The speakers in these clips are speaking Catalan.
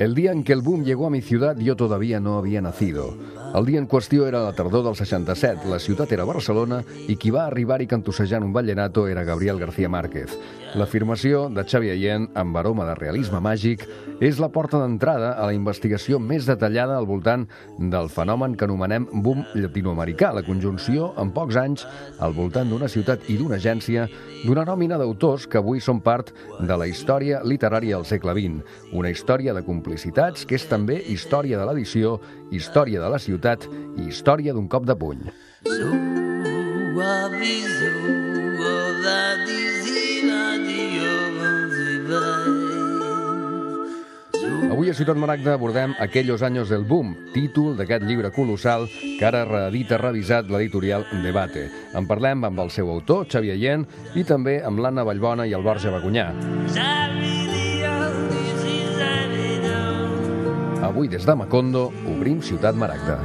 El día en que el boom llegó a mi ciudad, yo todavía no había nacido. El dia en qüestió era la tardor del 67, la ciutat era Barcelona i qui va arribar-hi cantussejant un vallenato era Gabriel García Márquez. L'afirmació de Xavi Allén, amb aroma de realisme màgic, és la porta d'entrada a la investigació més detallada al voltant del fenomen que anomenem boom llatinoamericà, la conjunció, en pocs anys, al voltant d'una ciutat i d'una agència, d'una nòmina d'autors que avui són part de la història literària del segle XX. Una història de complicitats que és també història de l'edició, història de la ciutat i història d'un cop de puny. Avui a Ciutat Maragda abordem Aquellos años del boom, títol d'aquest llibre colossal que ara reedita revisat l'editorial Debate. En parlem amb el seu autor, Xavi Allén, i també amb l'Anna Vallbona i el Borja Bacunyà. Avui des de Macondo obrim Ciutat Maragda.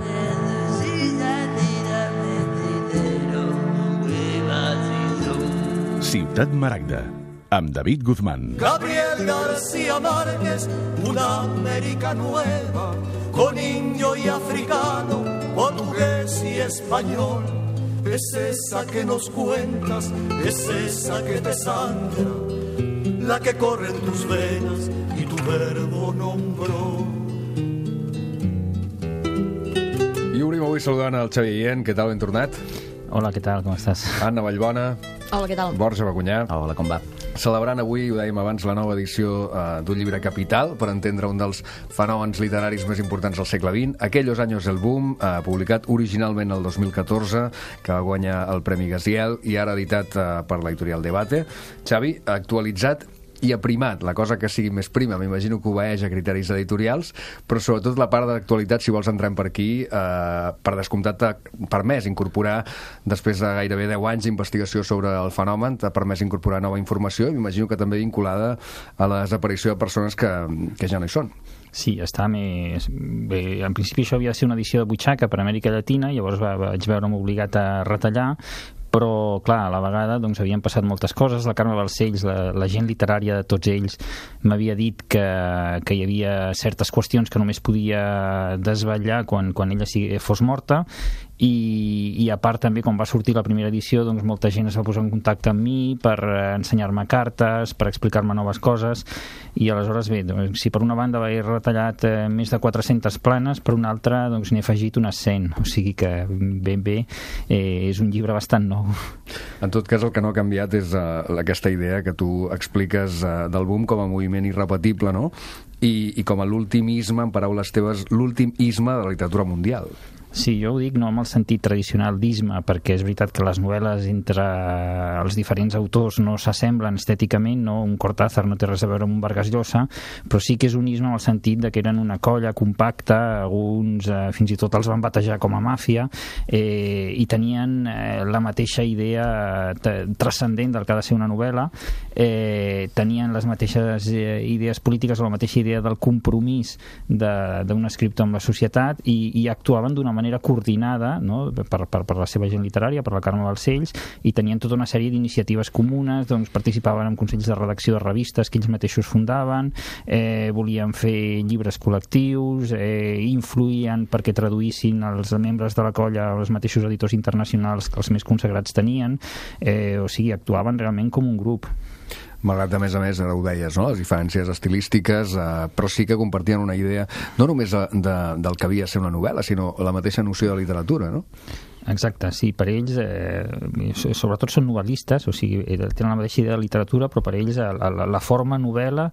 Ciutat Maragda, amb David Guzmán. Gabriel García Márquez, una América nueva, con indio y africano, portugués y español. Es esa que nos cuentas, es esa que te sangra, la que corre en tus venas y tu verbo nombró. I obrim avui saludant el Xavi Allén. Què tal, ben tornat? Hola, què tal, com estàs? Anna Vallbona. Hola, què tal? Borja Bacunyà. Hola, com va? Celebrant avui, ho dèiem abans, la nova edició d'un llibre capital per entendre un dels fenòmens literaris més importants del segle XX, Aquellos años del boom, publicat originalment el 2014, que va guanyar el Premi Gaziel i ara editat per l'editorial Debate. Xavi, actualitzat i aprimat, la cosa que sigui més prima, m'imagino que obeeix a criteris editorials, però sobretot la part d'actualitat, si vols entrem per aquí, per descomptat t'ha permès incorporar, després de gairebé 10 anys d'investigació sobre el fenomen, t'ha permès incorporar nova informació, i m'imagino que també vinculada a la desaparició de persones que ja no hi són. Sí, està més... Bé, en principi això havia de ser una edició de butxaca per Amèrica Llatina, llavors vaig veure'm obligat a retallar, però, clar, a la vegada doncs, havien passat moltes coses. La Carme Balcells, la gent literària de tots ells, m'havia dit que hi havia certes qüestions que només podia desvetllar quan ella fos morta, i a part també quan va sortir la primera edició doncs molta gent es va posar en contacte amb mi per ensenyar-me cartes, per explicar-me noves coses, i aleshores bé, doncs, si per una banda he retallat més de 400 planes, per una altra doncs n'he afegit unes 100, o sigui que ben bé és un llibre bastant nou. En tot cas, el que no ha canviat és aquesta idea que tu expliques del boom com a moviment irrepetible, no? I com a l'ultimisme, en paraules teves, l'últim isme de la literatura mundial. Sí, jo ho dic no amb el sentit tradicional d'isme, perquè és veritat que les novel·les entre els diferents autors no s'assemblen estèticament, no? Un Cortázar no té res a veure amb un Vargas Llosa, però sí que és un isme en el sentit de que eren una colla compacta, alguns fins i tot els van batejar com a màfia, i tenien la mateixa idea transcendent del que ha de ser una novel·la, tenien les mateixes idees polítiques o la mateixa idea del compromís d'un escriptor amb la societat, i actuaven d'una manera coordinada, no? per la seva gent literària, per la Carme Balcells, i tenien tota una sèrie d'iniciatives comunes, doncs participaven en consells de redacció de revistes que ells mateixos fundaven, volien fer llibres col·lectius, influïen perquè traduïssin els membres de la colla els mateixos editors internacionals que els més consagrats tenien, o sigui, actuaven realment com un grup. Malgrat, a més, ara ho deies, no? Les diferències estilístiques, però sí que compartien una idea no només del que havia de ser una novel·la, sinó la mateixa noció de literatura, no? Exacte, sí, per ells sobretot són novel·listes, o sigui, tenen la mateixa idea de literatura, però per ells la forma novel·la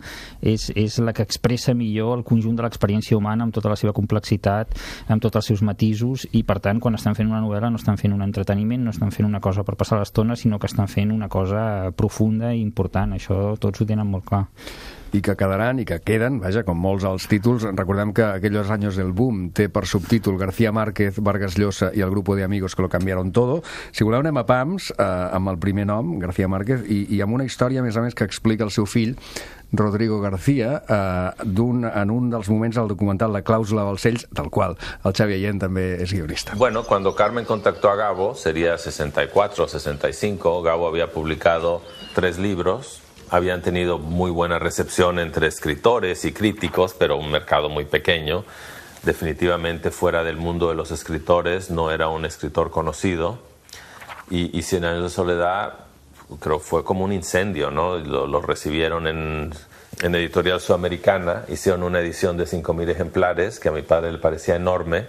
és la que expressa millor el conjunt de l'experiència humana amb tota la seva complexitat, amb tots els seus matisos, i per tant quan estan fent una novel·la no estan fent un entreteniment, no estan fent una cosa per passar l'estona, sinó que estan fent una cosa profunda i important. Això tots ho tenen molt clar. I que quedaran i que queden, vaja, com molts als títols. Recordem que Aquellos años del boom té per subtítol García Márquez, Vargas Llosa i el grupo de amigos que lo cambiaron todo. Si voleu anem a pams, amb el primer nom, García Márquez, i amb una història, a més, que explica el seu fill, Rodrigo García, en un dels moments del documental La cláusula Balcells, del qual el Xavi Allén també és guionista. Bueno, cuando Carmen contactó a Gabo, sería 64 o 65, Gabo había publicado 3 libros, habían tenido muy buena recepción entre escritores y críticos, pero un mercado muy pequeño. Definitivamente fuera del mundo de los escritores no era un escritor conocido. Y 100 años de soledad, creo, fue como un incendio, ¿no? Lo recibieron en Editorial Sudamericana, hicieron una edición de 5.000 ejemplares, que a mi padre le parecía enorme.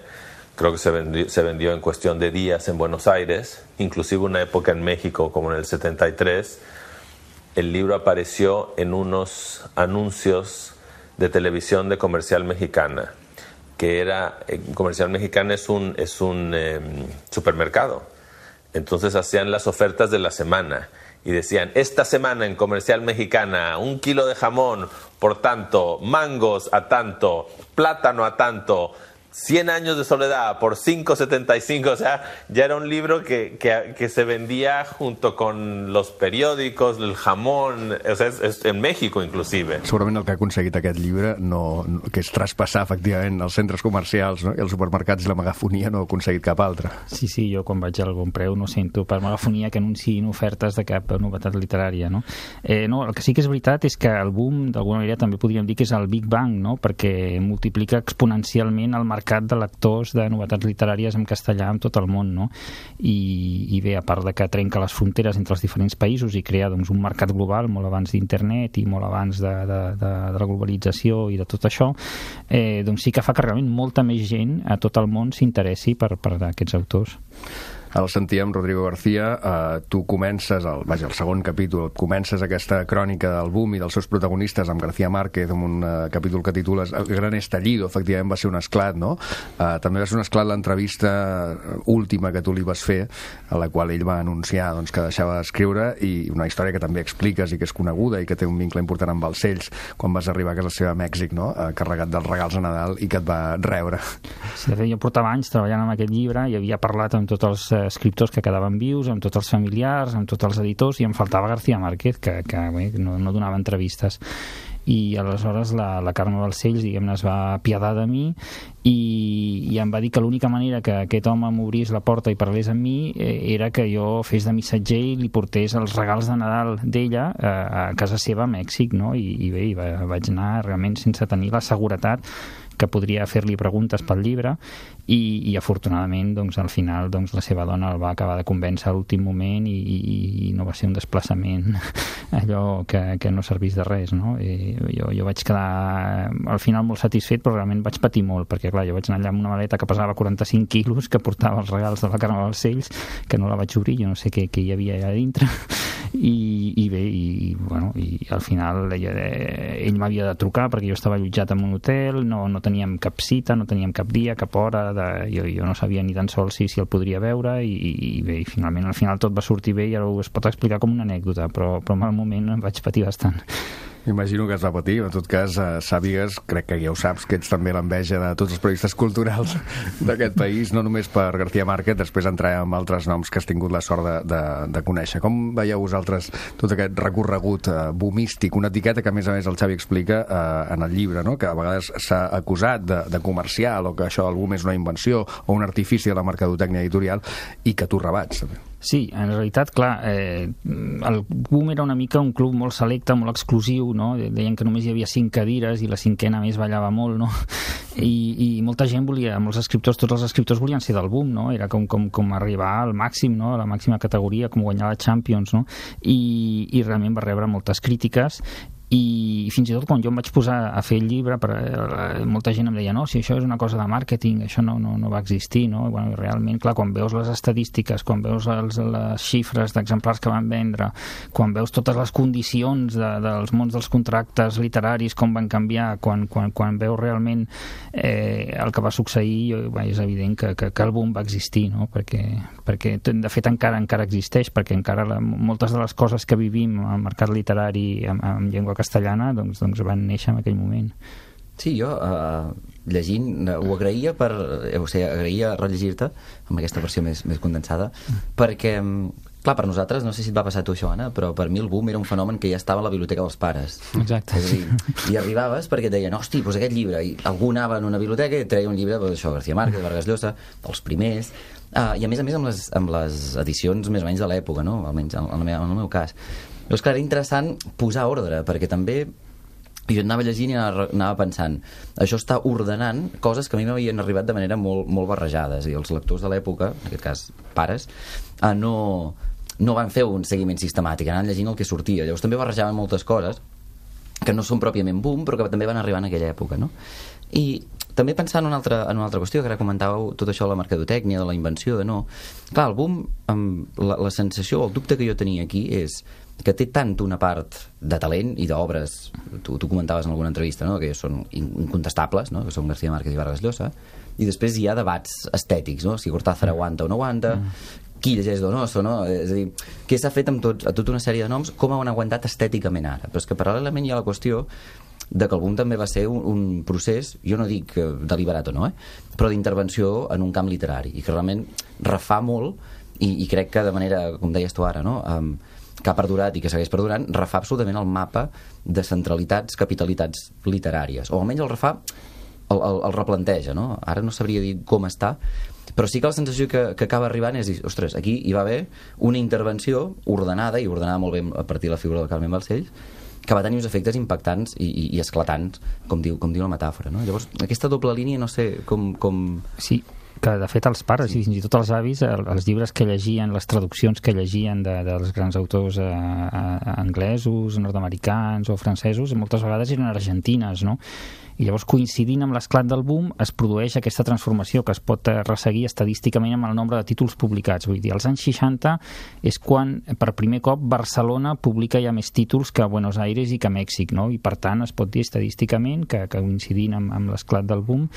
Creo que se vendió en cuestión de días en Buenos Aires, inclusive una época en México, como en el 73. El libro apareció en unos anuncios de televisión de Comercial Mexicana, que Comercial Mexicana es un supermercado. Entonces hacían las ofertas de la semana y decían, esta semana en Comercial Mexicana, 1 kilo de jamón por tanto, mangos a tanto, plátano a tanto, 100 años de soledad por 5.75, o sea, ya era un libro que se vendía junto con los periòdicos, el jamón, o sea, és en México inclusive. Segurament el que ha aconseguit aquest llibre que és traspassar efectivament els centres comercials, no? I els supermercats i la megafonia no ha aconseguit cap altre. Sí, jo quan vaig al Bon Preu no sento per megafonia que anunciïn ofertes de cap novetat literària, no? No, el que sí que és veritat és que el boom, d'alguna manera, també podríem dir que és el Big Bang, no? Perquè multiplica exponencialment el mercat de lectors de novetats literàries en castellà en tot el món, no? I bé, a part de que trenca les fronteres entre els diferents països i crea doncs, un mercat global molt abans d'internet i molt abans de la globalització i de tot això, doncs sí que fa que realment molta més gent a tot el món s'interessi per aquests autors. El sentíem, Rodrigo García, tu comences, el segon capítol, comences aquesta crònica del boom i dels seus protagonistes amb García Márquez, amb un capítol que titules El gran estallido, efectivament va ser un esclat, no? També va ser un esclat l'entrevista última que tu li vas fer, a la qual ell va anunciar doncs, que deixava d'escriure, i una història que també expliques i que és coneguda i que té un vincle important amb Balcells, quan vas arribar a casa seva a Mèxic, no? Carregat dels regals a Nadal i que et va rebre. Sí, de fet, jo portava anys treballant amb aquest llibre i havia parlat amb tots els escriptors que quedaven vius, amb tots els familiars, amb tots els editors, i em faltava García Márquez, que no donava entrevistes. I aleshores la Carme Balcells, diguem-ne, es va apiadar de mi i em va dir que l'única manera que aquest home m'obrís la porta i parlés amb mi era que jo fes de missatger i li portés els regals de Nadal d'ella a casa seva a Mèxic, no? I bé, vaig anar realment sense tenir la seguretat que podria fer-li preguntes pel llibre i afortunadament doncs, al final doncs, la seva dona el va acabar de convèncer a l'últim moment i no va ser un desplaçament allò que no servís de res, no? Jo vaig quedar al final molt satisfet, però realment vaig patir molt perquè clar, jo vaig anar allà amb una maleta que pesava 45 quilos, que portava els regals de la Carme Balcells, que no la vaig obrir, jo no sé què hi havia allà dintre i bé, i al final ell m'havia de trucar perquè jo estava allotjat en un hotel, no teníem cap cita, no teníem cap dia, cap hora, jo no sabia ni tan sols si el podria veure i bé, finalment al final tot va sortir bé i ara es pot explicar com una anècdota, però en el moment em vaig patir bastant. M'imagino que es va patir, en tot cas sàpigues, crec que ja ho saps, que ets també l'enveja de tots els periodistes culturals d'aquest país, no només per García Márquez, després entrarem amb altres noms que has tingut la sort de conèixer. Com veieu vosaltres tot aquest recorregut boomístic, una etiqueta que a més el Xavi explica en el llibre, no? Que a vegades s'ha acusat de comercial o que això el boom és una invenció o un artifici de la mercadotècnia editorial i que tu rebats també. Sí, en realitat, clar, el boom era una mica un club molt selecte, molt exclusiu, no? Deien que només hi havia 5 cadires i la cinquena més ballava molt, no? I molta gent volia, molts escriptors, tots els escriptors volien ser del boom, no? Era com arribar al màxim, no? A la màxima categoria, com guanyar la Champions, no? I realment va rebre moltes crítiques i fins i tot quan jo em vaig posar a fer el llibre molta gent em deia no, si això és una cosa de màrqueting, això no va existir, no? I, bueno, realment, clar, quan veus les estadístiques, quan veus les xifres d'exemplars que van vendre, quan veus totes les condicions dels mons dels contractes literaris, com van canviar, quan veus realment el que va succeir, és evident que el boom va existir, no? Perquè de fet encara existeix, perquè encara moltes de les coses que vivim al mercat literari en llengua castellana doncs van néixer en aquell moment. Sí, jo llegint ho agraïa agraïa rellegir-te amb aquesta versió més condensada perquè, clar, per nosaltres, no sé si et va passar a tu això, Anna, però per mi el boom era un fenomen que ja estava a la biblioteca dels pares. Exacte. És a dir, i arribaves perquè et deien, hosti, doncs aquest llibre, i algú anava en una biblioteca i treia un llibre, això, García Márquez, Vargas Llosa, dels primers, i a més amb les edicions més o menys de l'època, no? Almenys en el meu cas. Llavors, clar, era interessant posar ordre, perquè també jo anava llegint i anava pensant, això està ordenant coses que a mi m'havien arribat de manera molt, molt barrejades, i els lectors de l'època, en aquest cas pares, no van fer un seguiment sistemàtic, anaven llegint el que sortia. Llavors també barrejaven moltes coses que no són pròpiament boom, però que també van arribar en aquella època, no? I també pensant en una altra qüestió, que ara comentàveu tot això de la mercadotècnia, de la invenció, de no... Clar, el boom, la sensació, el dubte que jo tenia aquí és que té tant una part de talent i d'obres, tu comentaves en alguna entrevista, no?, que són incontestables, no?, que són García Márquez i Vargas Llosa, i després hi ha debats estètics, no?, si Cortázar aguanta o no aguanta, qui llegeix Donoso, no?, és a dir, què s'ha fet amb tota una sèrie de noms, com han aguantat estèticament ara, però és que paral·lelament hi ha la qüestió de que el boom també va ser un procés, jo no dic deliberat o no, però d'intervenció en un camp literari, i que realment refà molt, i crec que de manera, com deies tu ara, no?, que ha perdurat i que segueix perdurant, refà absolutament el mapa de centralitats, capitalitats literàries, o almenys el refà, el replanteja, no? Ara no sabria dir com està, però sí que la sensació que acaba arribant és dir, ostres, aquí hi va haver una intervenció ordenada, i ordenada molt bé a partir de la figura del Carmen Balcells, que va tenir uns efectes impactants i esclatants, com diu la metàfora, no? Llavors, aquesta doble línia, no sé com... Sí, que de fet els pares i fins i tot els avis, els llibres que llegien, les traduccions que llegien dels grans autors anglesos, nord-americans o francesos, moltes vegades eren argentines, no? I llavors, coincidint amb l'esclat del boom, es produeix aquesta transformació que es pot resseguir estadísticament amb el nombre de títols publicats. Vull dir, als anys 60 és quan, per primer cop, Barcelona publica ja més títols que Buenos Aires i que Mèxic, no? I, per tant, es pot dir estadísticament que coincidint amb l'esclat del boom,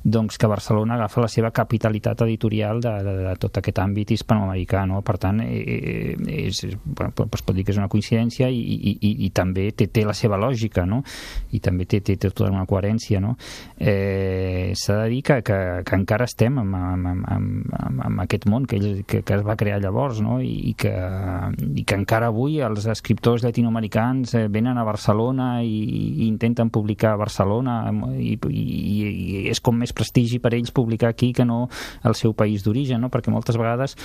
doncs que Barcelona agafa la seva capitalitat editorial de tot aquest àmbit hispanoamericà, no? Per tant, es pot dir que és una coincidència i també té la seva lògica, no? I també té tota una coherència, no? S'ha de dir que encara estem amb aquest món que es va crear llavors, no? I que encara avui els escriptors llatinoamericans venen a Barcelona i intenten publicar a Barcelona i és com més prestigi per ells publicar aquí que no al seu país d'origen, no? Perquè moltes vegades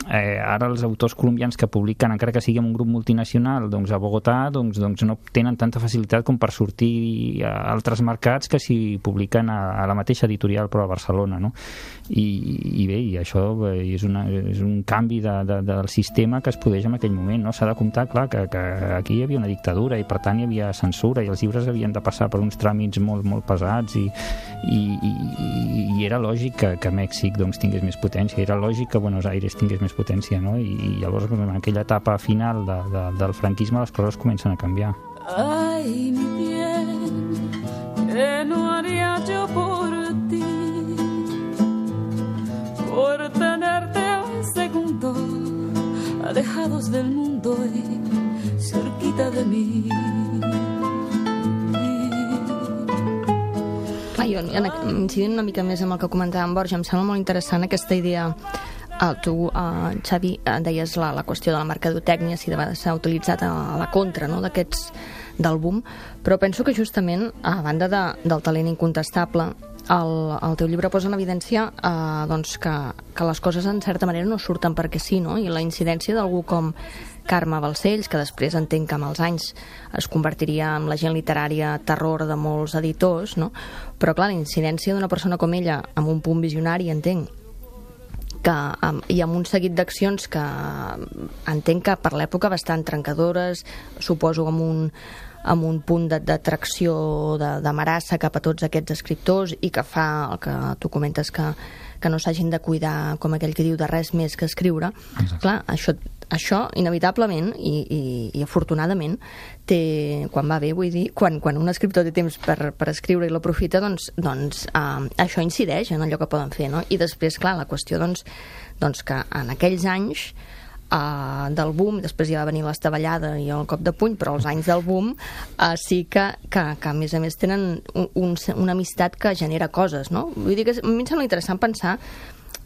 ara els autors colombians que publiquen, encara que sigui en un grup multinacional, doncs a Bogotà, doncs no tenen tanta facilitat com per sortir a altres mercats que si publiquen a la mateixa editorial però a Barcelona, no? I bé, i això és un canvi del sistema que es produeix en aquell moment, no? S'ha de comptar, clar, que aquí hi havia una dictadura i per tant hi havia censura i els llibres havien de passar per uns tràmits molt, molt pesats i era lògic que Mèxic doncs tingués més potència, era lògic que Buenos Aires tingués més potència, no? I llavors en aquella etapa final del franquisme les coses comencen a canviar. Ay, mi bien, ¿qué no haría yo por ti? Por tenerte un segundo, alejados del mundo y cerquita de mí. Jo, incidint una mica més amb el que comentava en Borja, em sembla molt interessant aquesta idea. Tu, Xavi, deies la qüestió de la mercadotècnia, si de vegades s'ha utilitzat a la contra, no?, d'aquests del boom, però penso que justament a banda del talent incontestable, el teu llibre posa en evidència doncs que les coses en certa manera no surten perquè sí, no? I la incidència d'algú com Carme Balcells, que després entenc que amb els anys es convertiria en l'agent literària terror de molts editors, no? Però clar, la incidència d'una persona com ella amb un punt visionari, entenc, i amb un seguit d'accions que entenc que per l'època bastant trencadores, suposo amb un punt d'atracció, d'amarassa cap a tots aquests escriptors i que fa el que tu comentes que no s'hagin de cuidar, com aquell que diu, de res més que escriure. Exacte. Clar, això inevitablement i afortunadament quan va bé, vull dir, quan un escriptor té temps per escriure i l'aprofita, doncs això incideix en allò que poden fer, no? I després, clar, la qüestió doncs que en aquells anys del boom, després ja va venir l'estavellada i el cop de puny, però els anys del boom sí que a més a més tenen una amistat que genera coses, no? Vull dir que a mi em sembla interessant pensar,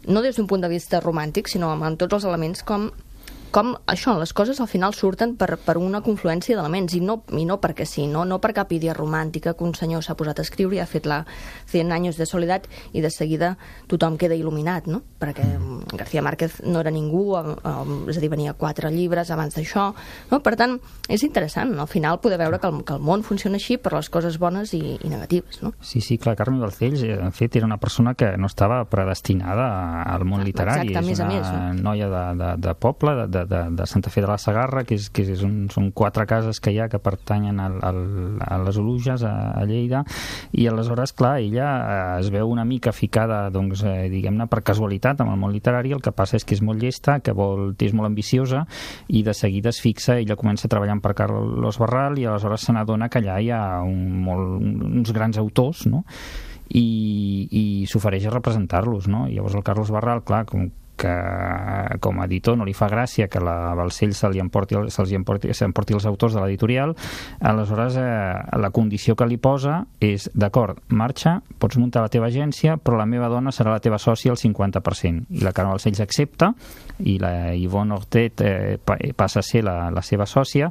no des d'un punt de vista romàntic, sinó amb tots els elements com com això, les coses al final surten per una confluència d'elements, i no perquè sí, no per cap idea romàntica que un senyor s'ha posat a escriure i ha fet la 100 anys de soledat i de seguida tothom queda il·luminat, no? Perquè García Márquez no era ningú, és a dir, venia 4 llibres abans d'això, no? Per tant, és interessant, al final poder veure que el món funciona així per les coses bones i negatives, no? Sí, clar, Carme Balcells, en fet, era una persona que no estava predestinada al món literari. Exacte, és una noia de poble, de Santa Fe de la Segarra, que són 4 cases que hi ha que pertanyen a les Oluges, a Lleida, i aleshores, clar, ella es veu una mica ficada, doncs, diguem-ne, per casualitat amb el món literari. El que passa és que és molt llesta, que és molt ambiciosa, i de seguida es fixa, ella comença treballant per Carlos Barral, i aleshores se n'adona que allà hi ha uns grans autors, no? I s'ofereix a representar-los, no? I llavors el Carlos Barral, clar, com a editor no li fa gràcia que la Balcells s'emporti els autors de l'editorial. Aleshores la condició que li posa és: d'acord, marxa, pots muntar la teva agència, però la meva dona serà la teva sòcia al 50%. I la Carme Balcells accepta, i la Yvonne Hortet passa a ser la seva sòcia,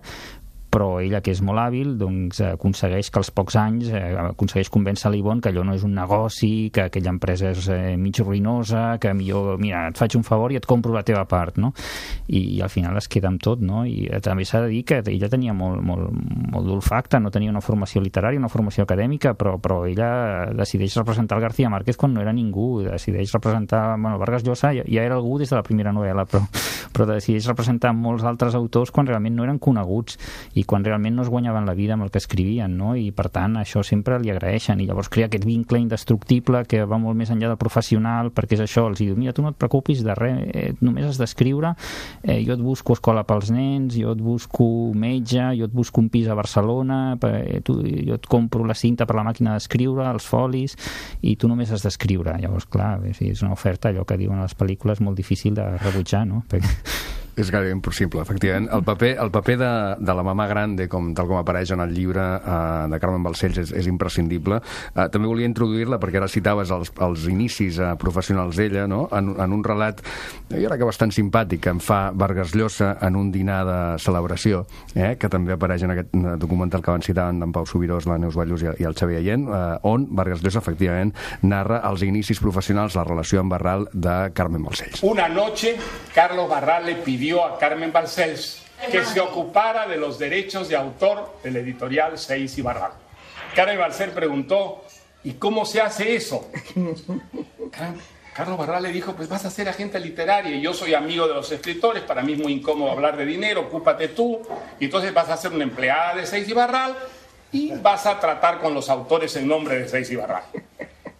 però ella, que és molt hàbil, doncs aconsegueix que als pocs anys aconsegueix convèncer l'Yvonne que allò no és un negoci, que aquella empresa és mig ruïnosa, que millor, mira, et faig un favor i et compro la teva part, no? I al final es queda amb tot, no? I també s'ha de dir que ella tenia molt d'olfacte, no tenia una formació literària, una formació acadèmica, però ella decideix representar el García Márquez quan no era ningú, decideix representar, bueno, Vargas Llosa ja era algú des de la primera novel·la, però decideix representar molts altres autors quan realment no eren coneguts i quan realment no es guanyaven la vida amb el que escrivien, no? I per tant això sempre li agraeixen, i llavors crea aquest vincle indestructible que va molt més enllà del professional, perquè és això, els diu: mira, tu no et preocupis de res, només has d'escriure, jo et busco escola pels nens, jo et busco metge, jo et busco un pis a Barcelona, jo et compro la cinta per la màquina d'escriure, els folis, i tu només has d'escriure. Llavors, clar, és una oferta, allò que diuen a les pel·lícules, molt difícil de rebutjar, no? És gairebé impossible, efectivament. El paper de la mamà grande, tal com apareix en el llibre de Carmen Balcells, és imprescindible. També volia introduir-la, perquè ara citaves els inicis professionals d'ella, no? En un relat, jo crec que bastant simpàtic, que em fa Vargas Llosa en un dinar de celebració, que també apareix en aquest documental que van citar en Pau Subirós, la Neus Ballús i el Xavier Allent, on Vargas Llosa, efectivament, narra els inicis professionals, la relació amb Barral de Carmen Balcells. Una noche, Carlos Barral le pidió a Carmen Balcells que se ocupara de los derechos de autor del editorial Seix y Barral. Carmen Balcells preguntó: ¿y cómo se hace eso? Carlos Barral le dijo: pues vas a ser agente literaria, y yo soy amigo de los escritores, para mí es muy incómodo hablar de dinero, ocúpate tú, y entonces vas a ser una empleada de Seix y Barral y vas a tratar con los autores en nombre de Seix y Barral.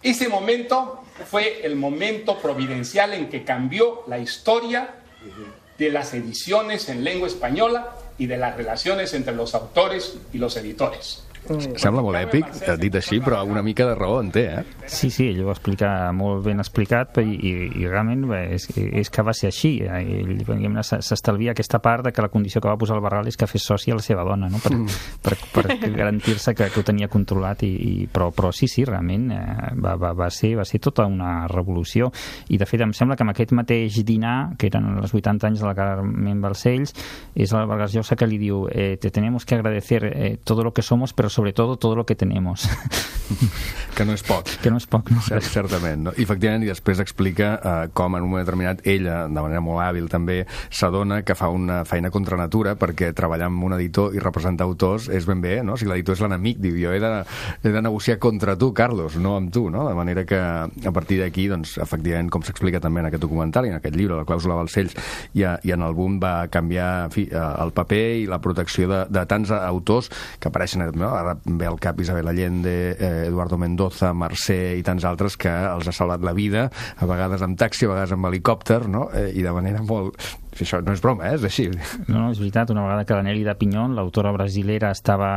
Ese momento fue el momento providencial en que cambió la historia de las ediciones en lengua española y de las relaciones entre los autores y los editores. Sembla molt èpic, dit així, però una mica de raó en té, Sí, ell ho va explicar molt ben explicat, i realment és que va ser així. Ell s'estalvia aquesta part de que la condició que va posar el Barral és que fes sòcia a la seva dona, no? per garantir-se que ho tenia controlat, però sí, realment va ser tota una revolució. I de fet em sembla que amb aquest mateix dinar, que eren els 80 anys de la Carmen Balcells, és el Vargas Llosa que li diu: te tenemos que agradecer todo lo que somos, pero sobre todo lo que tenemos. Que no és poc. Que no és poc, no? Certament, no? I efectivament, i després explica com en un moment determinat ella, de manera molt hàbil també, s'adona que fa una feina contra natura, perquè treballar amb un editor i representar autors és ben bé, no? Si l'editor és l'enemic, diu, jo he de negociar contra tu, Carlos, no amb tu, no? De manera que a partir d'aquí, doncs, efectivament, com s'explica també en aquest documental i en aquest llibre, La clàusula Balcells, i en el boom va canviar, en fi, el paper i la protecció de tants autors que apareixen, no? Ara ve al cap Isabel Allende, Eduardo Mendoza, Mercè i tants altres que els ha salvat la vida, a vegades amb taxi, a vegades amb helicòpter, no? I de manera molt... Això no és broma, és així. No, és veritat. Una vegada que la Nelly de Piñón, l'autora brasilera, estava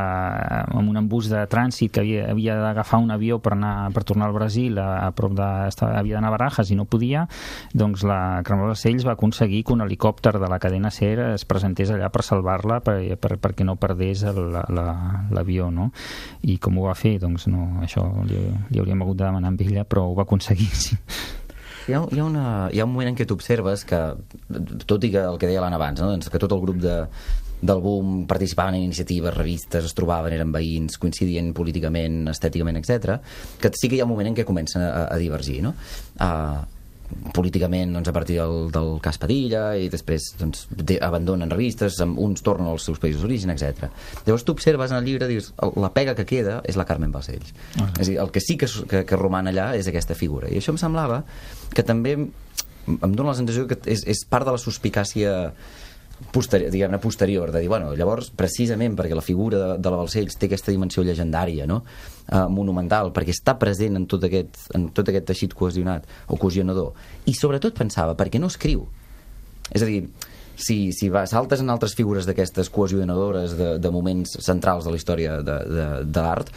en un embús de trànsit, que havia d'agafar un avió per tornar al Brasil, a prop havia d'anar a Barajas i no podia, doncs la Carmen Balcells va aconseguir que un helicòpter de la cadena SER es presentés allà per salvar-la, perquè no perdés l'avió, no? I com ho va fer? Doncs no, això li hauríem hagut de demanar amb ella, però ho va aconseguir, sí. hi ha un moment en què t'observes que, tot i que el que deia l'Anna abans, no? Doncs que tot el grup del boom participaven en iniciatives, revistes, es trobaven, eren veïns, coincidien políticament, estèticament, etc. Que sí que hi ha un moment en què comencen a divergir, no? Políticament, doncs, a partir del cas Padilla, i després doncs, abandonen revistes, uns tornen als seus països d'origen, etc. Llavors tu observes en el llibre, dius, la pega que queda és la Carmen Balcells. És a dir, el que sí que roman allà és aquesta figura, i això em semblava que també em dóna la sensació que és part de la suspicàcia posterior, de dir, bueno, llavors, precisament perquè la figura de la Balcells té aquesta dimensió llegendària, no? Monumental, perquè està present en tot aquest teixit cohesionat o cohesionador, i sobretot pensava, perquè no escriu? És a dir, si saltes en altres figures d'aquestes cohesionadores de moments centrals de la història de l'art,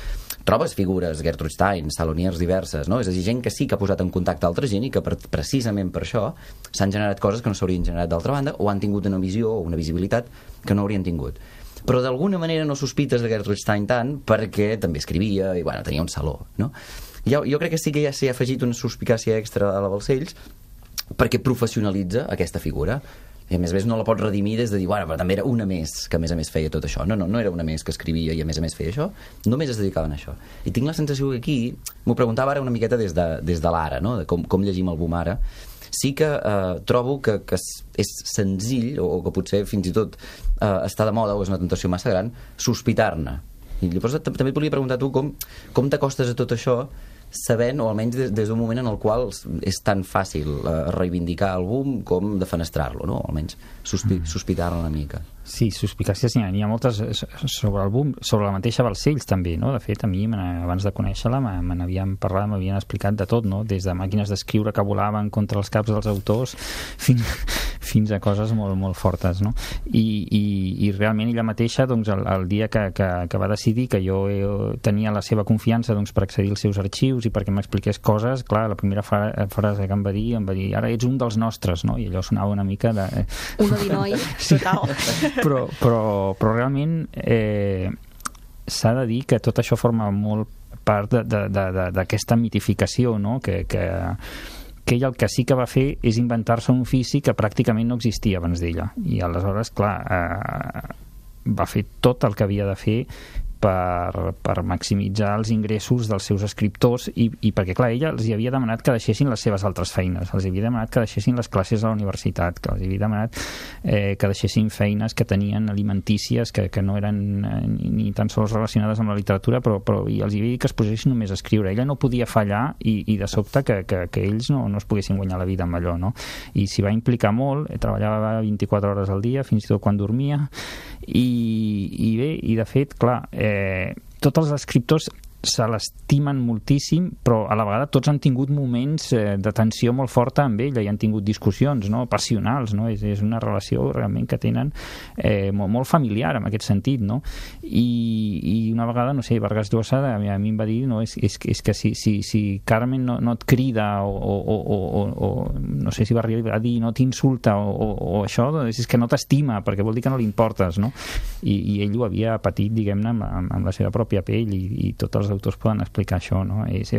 trobes figures, Gertrude Stein, saloniers diverses, no? És a dir, gent que sí que ha posat en contacte altra gent i que precisament per això s'han generat coses que no s'haurien generat d'altra banda, o han tingut una visió o una visibilitat que no haurien tingut. Però d'alguna manera no sospites de Gertrude Stein tant, perquè també escrivia i, bueno, tenia un saló, no? Jo crec que sí que ja s'hi ha afegit una suspicàcia extra a la Balcells perquè professionalitza aquesta figura. I a més no la pots redimir des de dir, bueno, però també era una més que a més feia tot això. No era una més que escrivia i a més feia això, només es dedicaven a això. I tinc la sensació que aquí, m'ho preguntava ara una miqueta des de l'ara, no? De com llegim el boom ara, sí que trobo que és senzill, o que potser fins i tot està de moda, o és una tentació massa gran, sospitar-ne. I llavors també et volia preguntar tu com t'acostes a tot això sabent, o almenys des d'un moment en el qual és tan fàcil reivindicar el boom com defenestrar-lo, no? Almenys sospitar-lo una mica. Sí, suspicàcies n'hi ha moltes sobre el boom, sobre la mateixa Balcells també, no? De fet, a mi, abans de conèixer-la, me n'havien parlat, m'havien explicat de tot, no? Des de màquines d'escriure que volaven contra els caps dels autors fins a coses molt, molt fortes, no? I realment ella mateixa, doncs, el dia que va decidir que jo tenia la seva confiança, doncs, per accedir als seus arxius i perquè m'expliqués coses, clar, la primera frase que em va dir, ara ets un dels nostres, no? I allò sonava una mica de... Uno di noi, total. Però realment s'ha de dir que tot això forma molt part d'aquesta mitificació, no? Que ella el que sí que va fer és inventar-se un ofici que pràcticament no existia abans d'ella, i aleshores, clar, va fer tot el que havia de fer per maximitzar els ingressos dels seus escriptors i perquè, clar, ella els hi havia demanat que deixessin les seves altres feines, els havia demanat que deixessin les classes a la universitat, que els havia demanat que deixessin feines que tenien alimentícies que no eren ni tan sols relacionades amb la literatura, però i els havia dit que es posessin només a escriure. Ella no podia fallar i de sobte que ells no es poguessin guanyar la vida amb allò, no? I s'hi va implicar molt, treballava 24 hores al dia, fins i tot quan dormia, i bé, i de fet, clar, tots els escriptors se l'estimen moltíssim, però a la vegada tots han tingut moments de tensió molt forta amb ella i han tingut discussions, no? Passionals, no? És una relació realment que tenen molt familiar en aquest sentit, no? I una vegada, no sé, Vargas Llosa a mi em va dir, no? És que si Carmen no et crida o no sé si va arribar a dir no t'insulta o això, doncs és que no t'estima perquè vol dir que no li importes, no? I ell ho havia patit, diguem-ne, amb la seva pròpia pell i tots els autors poden explicar això, no? És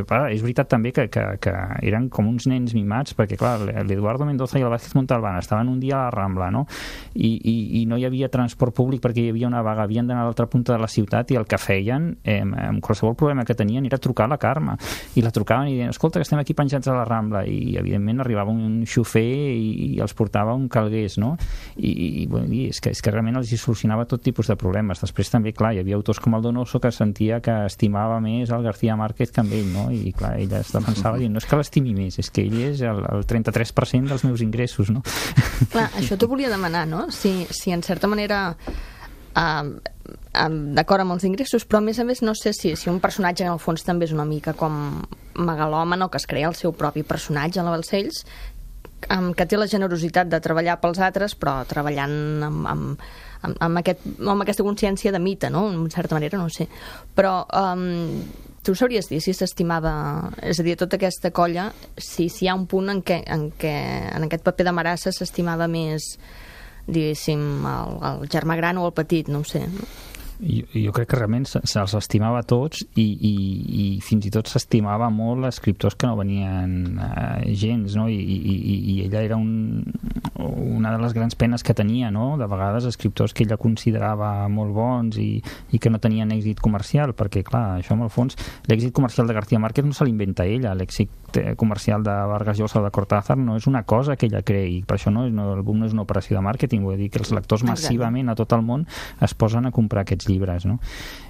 veritat també que eren com uns nens mimats, perquè clar, l'Eduardo Mendoza i el Vázquez Montalbán estaven un dia a la Rambla, no? I no hi havia transport públic perquè hi havia una vaga, havien d'anar a l'altra punta de la ciutat i el que feien, amb qualsevol problema que tenien, era trucar a la Carme, i la trucaven i deien, escolta, que estem aquí penjats a la Rambla, i evidentment arribava un xofer i els portava un calgués, no? I és que realment els hi solucionava tot tipus de problemes. Després també, clar, hi havia autors com el Donoso que sentia que estimava més el García Márquez que amb ell, no? I clar, ella es defensava dient, no és que l'estimi més, és que ell és el 33% dels meus ingressos, no? Clar, això t'ho volia demanar, no? Si en certa manera d'acord amb els ingressos, però a més no sé si un personatge en el fons també és una mica com megalòman, o que es crea el seu propi personatge a la Balcells, que té la generositat de treballar pels altres, però treballant amb aquesta consciència de mite, no? En certa manera, no sé. Però tu sabries dir si s'estimava, és a dir, tota aquesta colla, si hi ha un punt en què en aquest paper de Marassa s'estimava més, diguéssim, el germà gran o el petit, no ho sé. Jo crec que realment se'ls estimava tots i fins i tot s'estimava molt escriptors que no venien gens, no? I ella era una de les grans penes que tenia, no? De vegades escriptors que ella considerava molt bons i que no tenien èxit comercial, perquè clar, això en el fons l'èxit comercial de García Márquez no se l'inventa ella, l'èxit comercial de Vargas Llosa o de Cortázar no és una cosa que ella creï, per això el boom no és una operació de màrqueting, vull dir que els lectors massivament a tot el món es posen a comprar aquests llibres, no?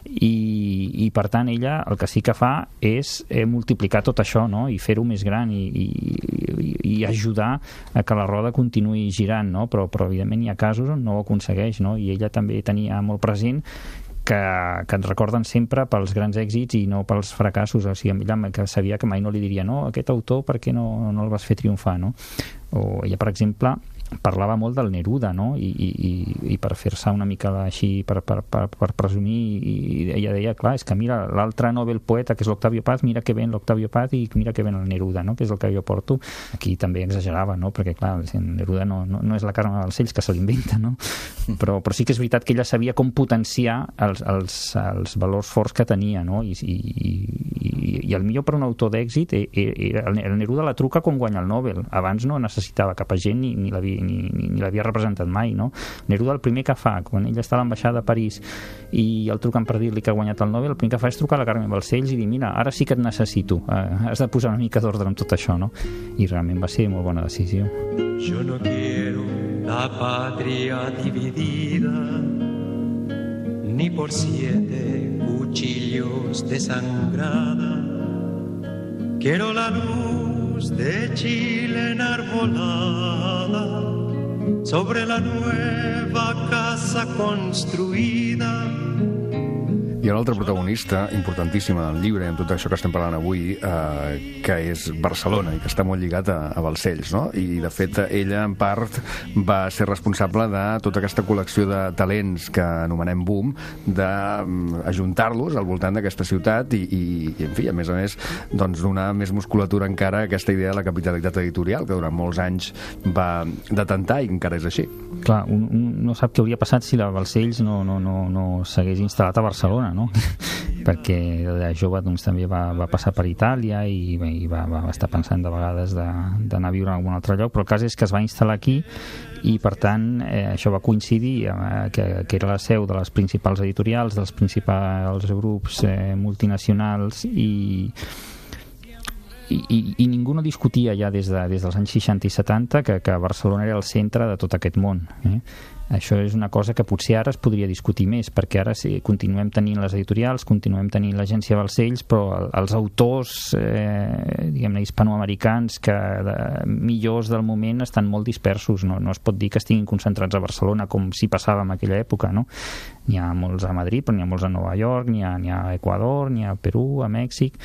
I per tant ella el que sí que fa és multiplicar tot això, no? I fer-ho més gran i ajudar a que la roda continuï girant, no? Però evidentment hi ha casos on no ho aconsegueix, no? I ella també tenia molt present que ens recorden sempre pels grans èxits i no pels fracassos, o sigui, ella que sabia que mai no li diria no, aquest autor per què no el vas fer triomfar, no? O ella, per exemple, parlava molt del Neruda, no? I per fer-se una mica així, per presumir, i ella deia, clar, és que mira, l'altre Nobel poeta, que és l'Octavio Paz, mira que ben l'Octavio Paz i mira que ben el Neruda, no? Que és el que jo porto. Aquí també exagerava, no? Perquè, clar, el Neruda no és la Carme Balcells que se l'inventa, no? Però sí que és veritat que ella sabia com potenciar els valors forts que tenia, no? I el millor per un autor d'èxit el Neruda la truca quan guanya el Nobel. Abans no necessitava cap agent ni l'havia representat mai, no? Neruda el primer que fa, quan ella està a l'ambaixada de París i el truquen per dir-li que ha guanyat el Nobel, el primer que fa és trucar a la Carme Balcells i dir, mira, ara sí que et necessito, has de posar una mica d'ordre amb tot això, no? I realment va ser molt bona decisió. Yo no quiero la patria dividida ni por 7 cuchillos desangrada. Quiero la luz de Chile enarbolada sobre la nueva casa construida. Hi ha un altre protagonista importantíssima del llibre, amb tot això que estem parlant avui, que és Barcelona i que està molt lligat a Balcells, no? I de fet ella en part va ser responsable de tota aquesta col·lecció de talents que anomenem boom, d'ajuntar-los al voltant d'aquesta ciutat i en fi, a més doncs donar més musculatura encara a aquesta idea de la capitalitat editorial que durant molts anys va detentar i encara és així. Clar, un no sap què hauria passat si la Balcells no s'hagués instal·lat a Barcelona, no? Perquè de jove doncs, també va passar per Itàlia i va estar pensant de vegades d'anar a viure en algun altre lloc, però el cas és que es va instal·lar aquí i per tant això va coincidir que era la seu de les principals editorials, dels principals grups multinacionals i ningú no discutia ja des dels anys 60 i 70 que Barcelona era el centre de tot aquest món. Això és una cosa que potser ara es podria discutir més, perquè ara sí, continuem tenint les editorials, continuem tenint l'agència Balcells, però els autors diguem-ne hispanoamericans millors del moment estan molt dispersos, no es pot dir que estiguin concentrats a Barcelona com si passava en aquella època, no? N'hi ha molts a Madrid, però n'hi ha molts a Nova York, n'hi ha a Equador, n'hi ha a Perú, a Mèxic,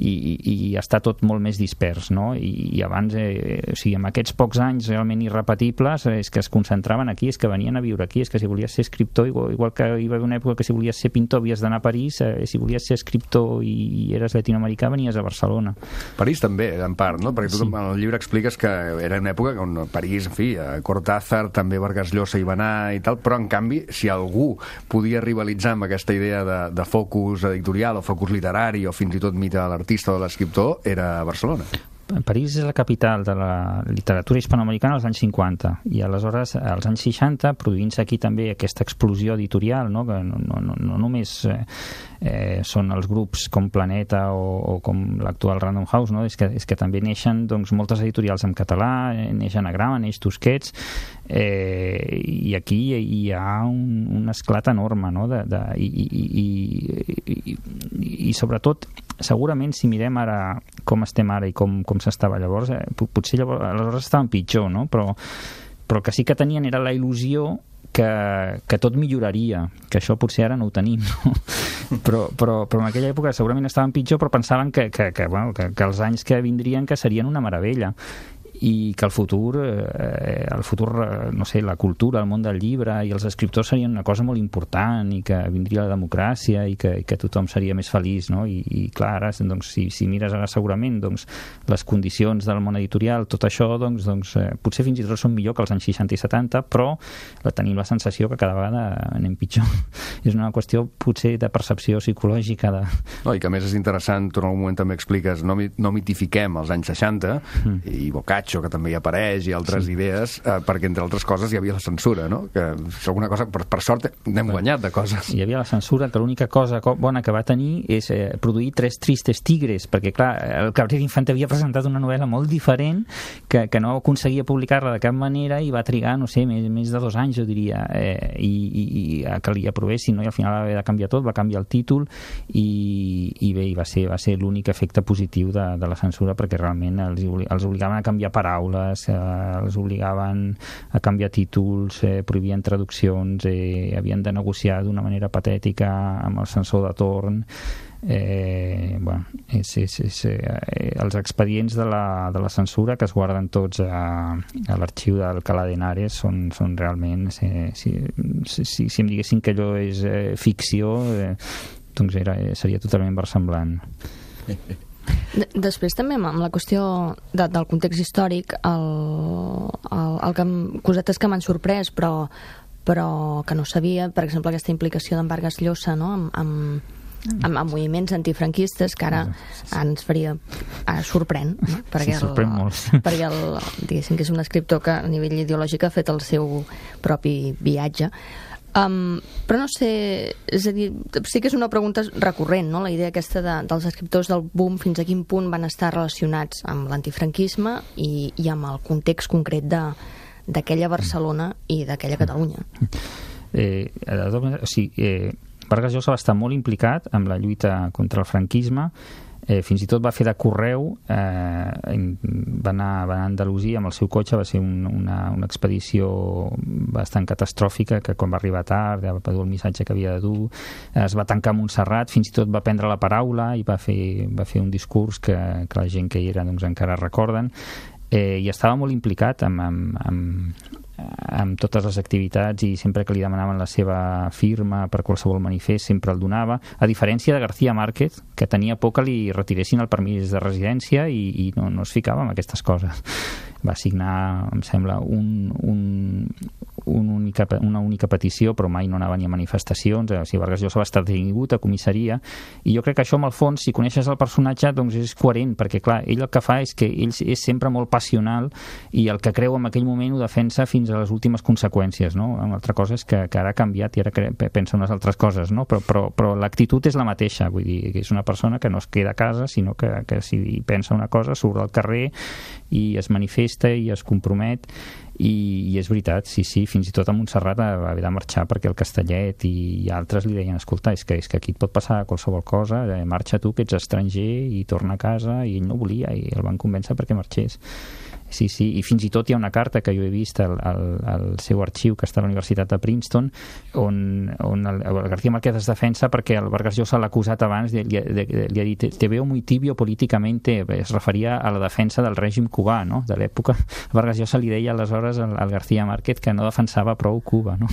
i està tot molt més dispers, no? I abans, o sigui, en aquests pocs anys realment irrepetibles, és que es concentraven aquí, és que venien a viure aquí, és que si volies ser escriptor, igual que hi va haver una època que si volies ser pintor havies d'anar a París, si volies ser escriptor i eres llatinoamericà venies a Barcelona. París també, en part, no? Perquè tu en el llibre expliques que era una època on París, en fi, Cortázar, també Vargas Llosa hi va anar i tal, però en canvi, si algú podia rivalitzar amb aquesta idea de focus editorial o focus literari o fins i tot mite de l'artista o de l'escriptor, era Barcelona. París és la capital de la literatura hispanoamericana als anys 50 i aleshores als anys 60 produint-se aquí també aquesta explosió editorial, no? Que no només són els grups com Planeta o com l'actual Random House, no? És que també neixen doncs, moltes editorials en català, neix Anagrama, neix Tusquets, i aquí hi ha un esclat enorme, no? I sobretot segurament si mirem ara com estem ara i com s'estava llavors, potser aleshores estaven pitjor, no? Però el que sí que tenien era la il·lusió que tot milloraria, que això potser ara no ho tenim, no? Però en aquella època segurament estaven pitjor, però pensaven que els anys que vindrien que serien una meravella. i que el futur, no sé, la cultura, el món del llibre i els escriptors serien una cosa molt important i que vindria la democràcia i que tothom seria més feliç, no? I clar, ara, doncs, si mires ara segurament doncs, les condicions del món editorial, tot això, doncs, potser fins i tot són millor que els anys 60 i 70, però tenim la sensació que cada vegada anem pitjor. És una qüestió potser de percepció psicològica. No, i que a més és interessant, tu en algun moment també expliques, no mitifiquem els anys 60 i Boccaccio, que també hi apareix, i altres idees, perquè entre altres coses hi havia la censura, no? Que és alguna cosa, per sort n'hem guanyat de coses. Hi havia la censura, que l'única cosa bona que va tenir és produir 3 tristes tigres, perquè clar, el Cabrera Infante havia presentat una novel·la molt diferent que no aconseguia publicar-la de cap manera i va trigar, no sé, més de 2 anys, jo diria, i que li aprovessin, no? I al final va haver de canviar tot, va canviar el títol i bé, va ser l'únic efecte positiu de la censura, perquè realment els obligaven a canviar paraules, els obligaven a canviar títols, prohibien traduccions, havien de negociar d'una manera patètica amb el censor de torn. Els expedients de la censura, que es guarden tots a l'arxiu d'Alcalá de Henares, són realment, si em diguessin que allò és ficció, doncs seria totalment versemblant. Després també amb la qüestió del context històric, cosetes que m'han sorprès però que no sabia, per exemple aquesta implicació d'en Vargas Llosa, no? amb moviments antifranquistes, que ara ens faria sorprèn, no? perquè diguéssim que és un escriptor que a nivell ideològic ha fet el seu propi viatge. Però no sé, és a dir, sí que és una pregunta recurrent, no? La idea aquesta dels escriptors del boom, fins a quin punt van estar relacionats amb l'antifranquisme i amb el context concret d'aquella Barcelona i d'aquella Catalunya. Vargas Llosa va estar molt implicat amb la lluita contra el franquisme, fins i tot va fer de correu, va anar a Andalusia amb el seu cotxe, va ser una expedició bastant catastròfica, que quan va arribar tard va dur el missatge que havia de dur, es va tancar a Montserrat, fins i tot va prendre la paraula i va fer un discurs que la gent que hi era doncs, encara recorden, i estava molt implicat amb totes les activitats, i sempre que li demanaven la seva firma per qualsevol manifest sempre el donava, a diferència de García Márquez, que tenia por que li retiressin el permís de residència i no es ficava en aquestes coses. Va signar, em sembla, una única petició, però mai no anava ni a manifestacions. Vargas Llosa va estar detingut a comissaria, i jo crec que això, amb el fons, si coneixes el personatge, doncs és coherent, perquè clar, ell el que fa és que ell és sempre molt passional, i el que creu en aquell moment ho defensa fins a les últimes conseqüències, no? Una altra cosa és que ara ha canviat i ara pensa unes altres coses, no? Però l'actitud és la mateixa, vull dir, que és una persona que no es queda a casa, sinó que si pensa una cosa surt al carrer i es manifesta i es compromet, i és veritat, sí, fins i tot a Montserrat va haver de marxar perquè el Castellet i altres li deien, escolta, és que aquí et pot passar qualsevol cosa, marxa tu que ets estranger i torna a casa, i ell no volia i el van convèncer perquè marxés. Sí, i fins i tot hi ha una carta que jo he vist al seu arxiu, que està a la Universitat de Princeton, on el García Márquez es defensa perquè el Vargas Llosa l'ha acusat abans, li ha dit, te veo muy tibio políticamente, es referia a la defensa del règim cubà, no?, de l'època. Vargas Llosa li deia aleshores al García Márquez que no defensava prou Cuba, no?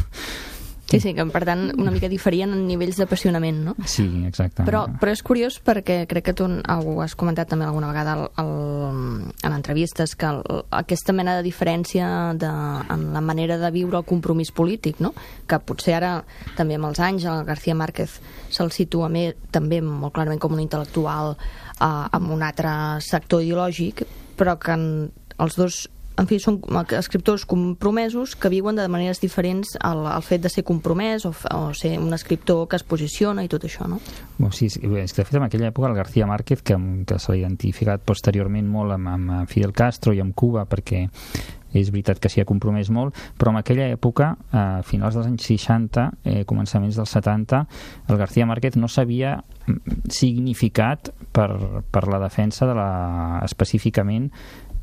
Sí, que per tant una mica diferien en nivells d'apassionament, no? Sí, exacte. Però és curiós perquè crec que tu ho has comentat també alguna vegada en entrevistes, que aquesta mena de diferència en la manera de viure el compromís polític, no? Que potser ara també amb els anys el García Márquez se'l situa també molt clarament com un intel·lectual amb un altre sector ideològic, però que els dos, en fi, són escriptors compromesos que viuen de maneres diferents al fet de ser compromès o ser un escriptor que es posiciona i tot això, no? Sí, és que de fet en aquella època el García Márquez, que s'ha identificat posteriorment molt amb Fidel Castro i amb Cuba, perquè és veritat que s'hi ha compromès molt, però en aquella època, a finals dels anys 60, començaments dels 70, el García Márquez no s'havia significat per la defensa específicament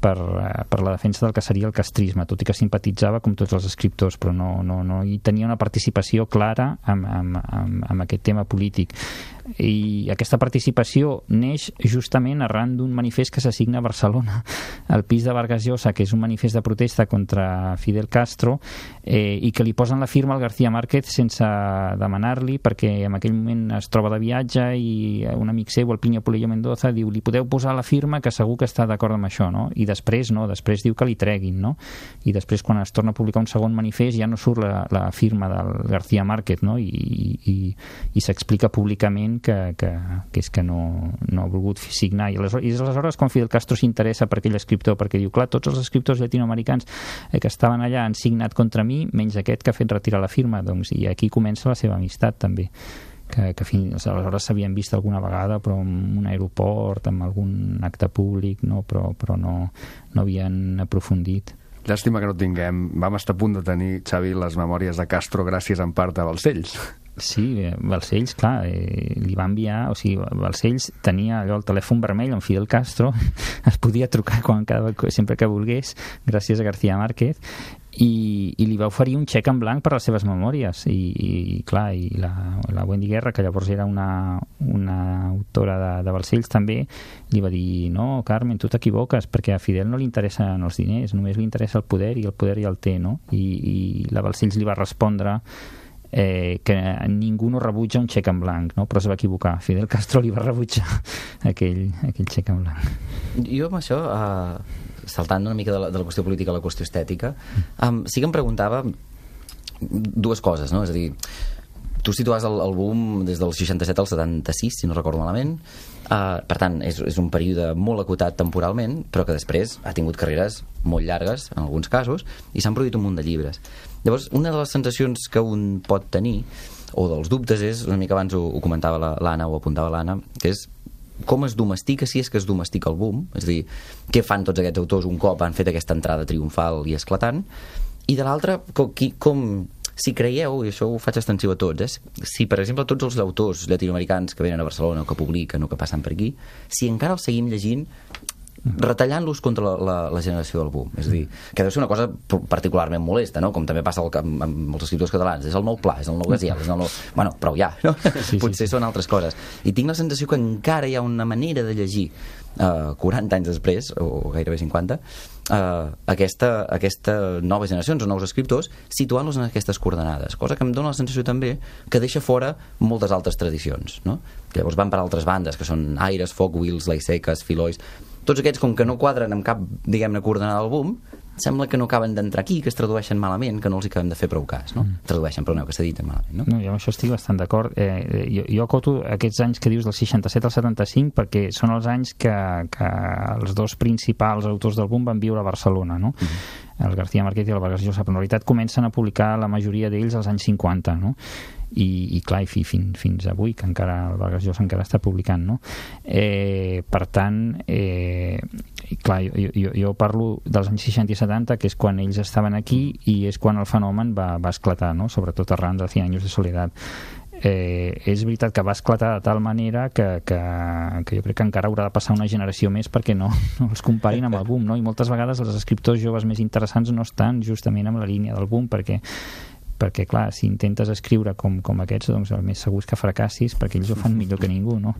per la defensa del que seria el castrisme, tot i que simpatitzava com tots els escriptors, però no hi tenia una participació clara amb aquest tema polític. I aquesta participació neix justament arran d'un manifest que s'assigna a Barcelona, al pis de Vargas Llosa, que és un manifest de protesta contra Fidel Castro, i que li posen la firma al García Márquez sense demanar-li, perquè en aquell moment es troba de viatge i un amic seu, el Plinio Puello Mendoza, diu, li podeu posar la firma que segur que està d'acord amb això, no? I després després diu que li treguin, no? I després quan es torna a publicar un segon manifest ja no surt la firma del García Márquez, no? I s'explica públicament que és que no ha volgut signar. I aleshores quan Fidel Castro s'interessa per aquell escriptor, perquè diu, clar, tots els escriptors llatinoamericans que estaven allà han signat contra mi, menys aquest que ha fet retirar la firma, doncs, i aquí comença la seva amistat també, que fins aleshores s'havien vist alguna vegada, però en un aeroport, en algun acte públic, no? però no havien aprofundit. Llàstima que no tinguem. Vam estar a punt de tenir, Xavi, les memòries de Castro gràcies en part a Balcells. Sí, Balcells, clar, li va enviar, o sigui, Balcells tenia allò el telèfon vermell amb Fidel Castro, es podia trucar sempre que volgués, gràcies a García Márquez, i li va oferir un xec en blanc per les seves memòries, i clar, i la Wendy Guerra, que llavors era una autora de Balcells també, li va dir, no, Carmen, tu t'equivoques, perquè a Fidel no li interessen els diners, només li interessa el poder, i el poder ja el té, no? I la Balcells li va respondre que ningú no rebutja un xec en blanc, no? Però es va equivocar, Fidel Castro li va rebutjar aquell xec en blanc. Jo amb això, saltant una mica de la qüestió política a la qüestió estètica, sí que em preguntava dues coses, no? És a dir, tu situaves el boom des del 67 al 76, si no recordo malament, per tant és un període molt acotat temporalment, però que després ha tingut carreres molt llargues en alguns casos, i s'han produït un munt de llibres. Llavors, una de les sensacions que un pot tenir, o dels dubtes, és, una mica abans ho comentava l'Anna, ho apuntava l'Anna, que és com es domestica, si és que es domestica el boom, és a dir, què fan tots aquests autors un cop han fet aquesta entrada triomfal i esclatant, i de l'altra, si creieu, i això ho faig extensiu a tots, si per exemple tots els autors llatinoamericans que venen a Barcelona o que publiquen o que passen per aquí, si encara els seguim llegint retallant-los contra la generació del boom, és a dir, que deu ser una cosa particularment molesta, no? Com també passa amb els escriptors catalans, és el nou Pla, és el nou Gaziel, és el nou... Bueno, prou ja, no? Sí, potser són altres coses, i tinc la sensació que encara hi ha una manera de llegir 40 anys després, o gairebé 50, aquesta noves generacions o nous escriptors, situant-los en aquestes coordenades, cosa que em dona la sensació també que deixa fora moltes altres tradicions, no? Llavors van per altres bandes, que són Aires, Foc, Wills, Laiseques, Filois, tots aquests, com que no quadren amb cap, diguem-ne, coordenada del boom, sembla que no acaben d'entrar aquí, que es tradueixen malament, que no els hi acabem de fer prou cas, no? Tradueixen, perdoneu, que s'editen malament, no? No, jo amb això estic bastant d'acord. Jo acoto aquests anys que dius del 67 al 75 perquè són els anys que els dos principals autors del boom van viure a Barcelona, no? El García Márquez i el Vargas Llosa, però en realitat comencen a publicar la majoria d'ells als anys 50, no? I clar, fins avui, que encara el Vargas Llosa encara està publicant, no? Per tant, clar, jo parlo dels anys 60 i 70, que és quan ells estaven aquí i és quan el fenomen va esclatar, no? Sobretot arran de 100 anys de soledat. És veritat que va esclatar de tal manera que jo crec que encara haurà de passar una generació més perquè no els comparin amb el boom, no? I moltes vegades els escriptors joves més interessants no estan justament en la línia del boom perquè clar, si intentes escriure com aquests, doncs el més segur és que fracassis perquè ells ho fan millor que ningú, no?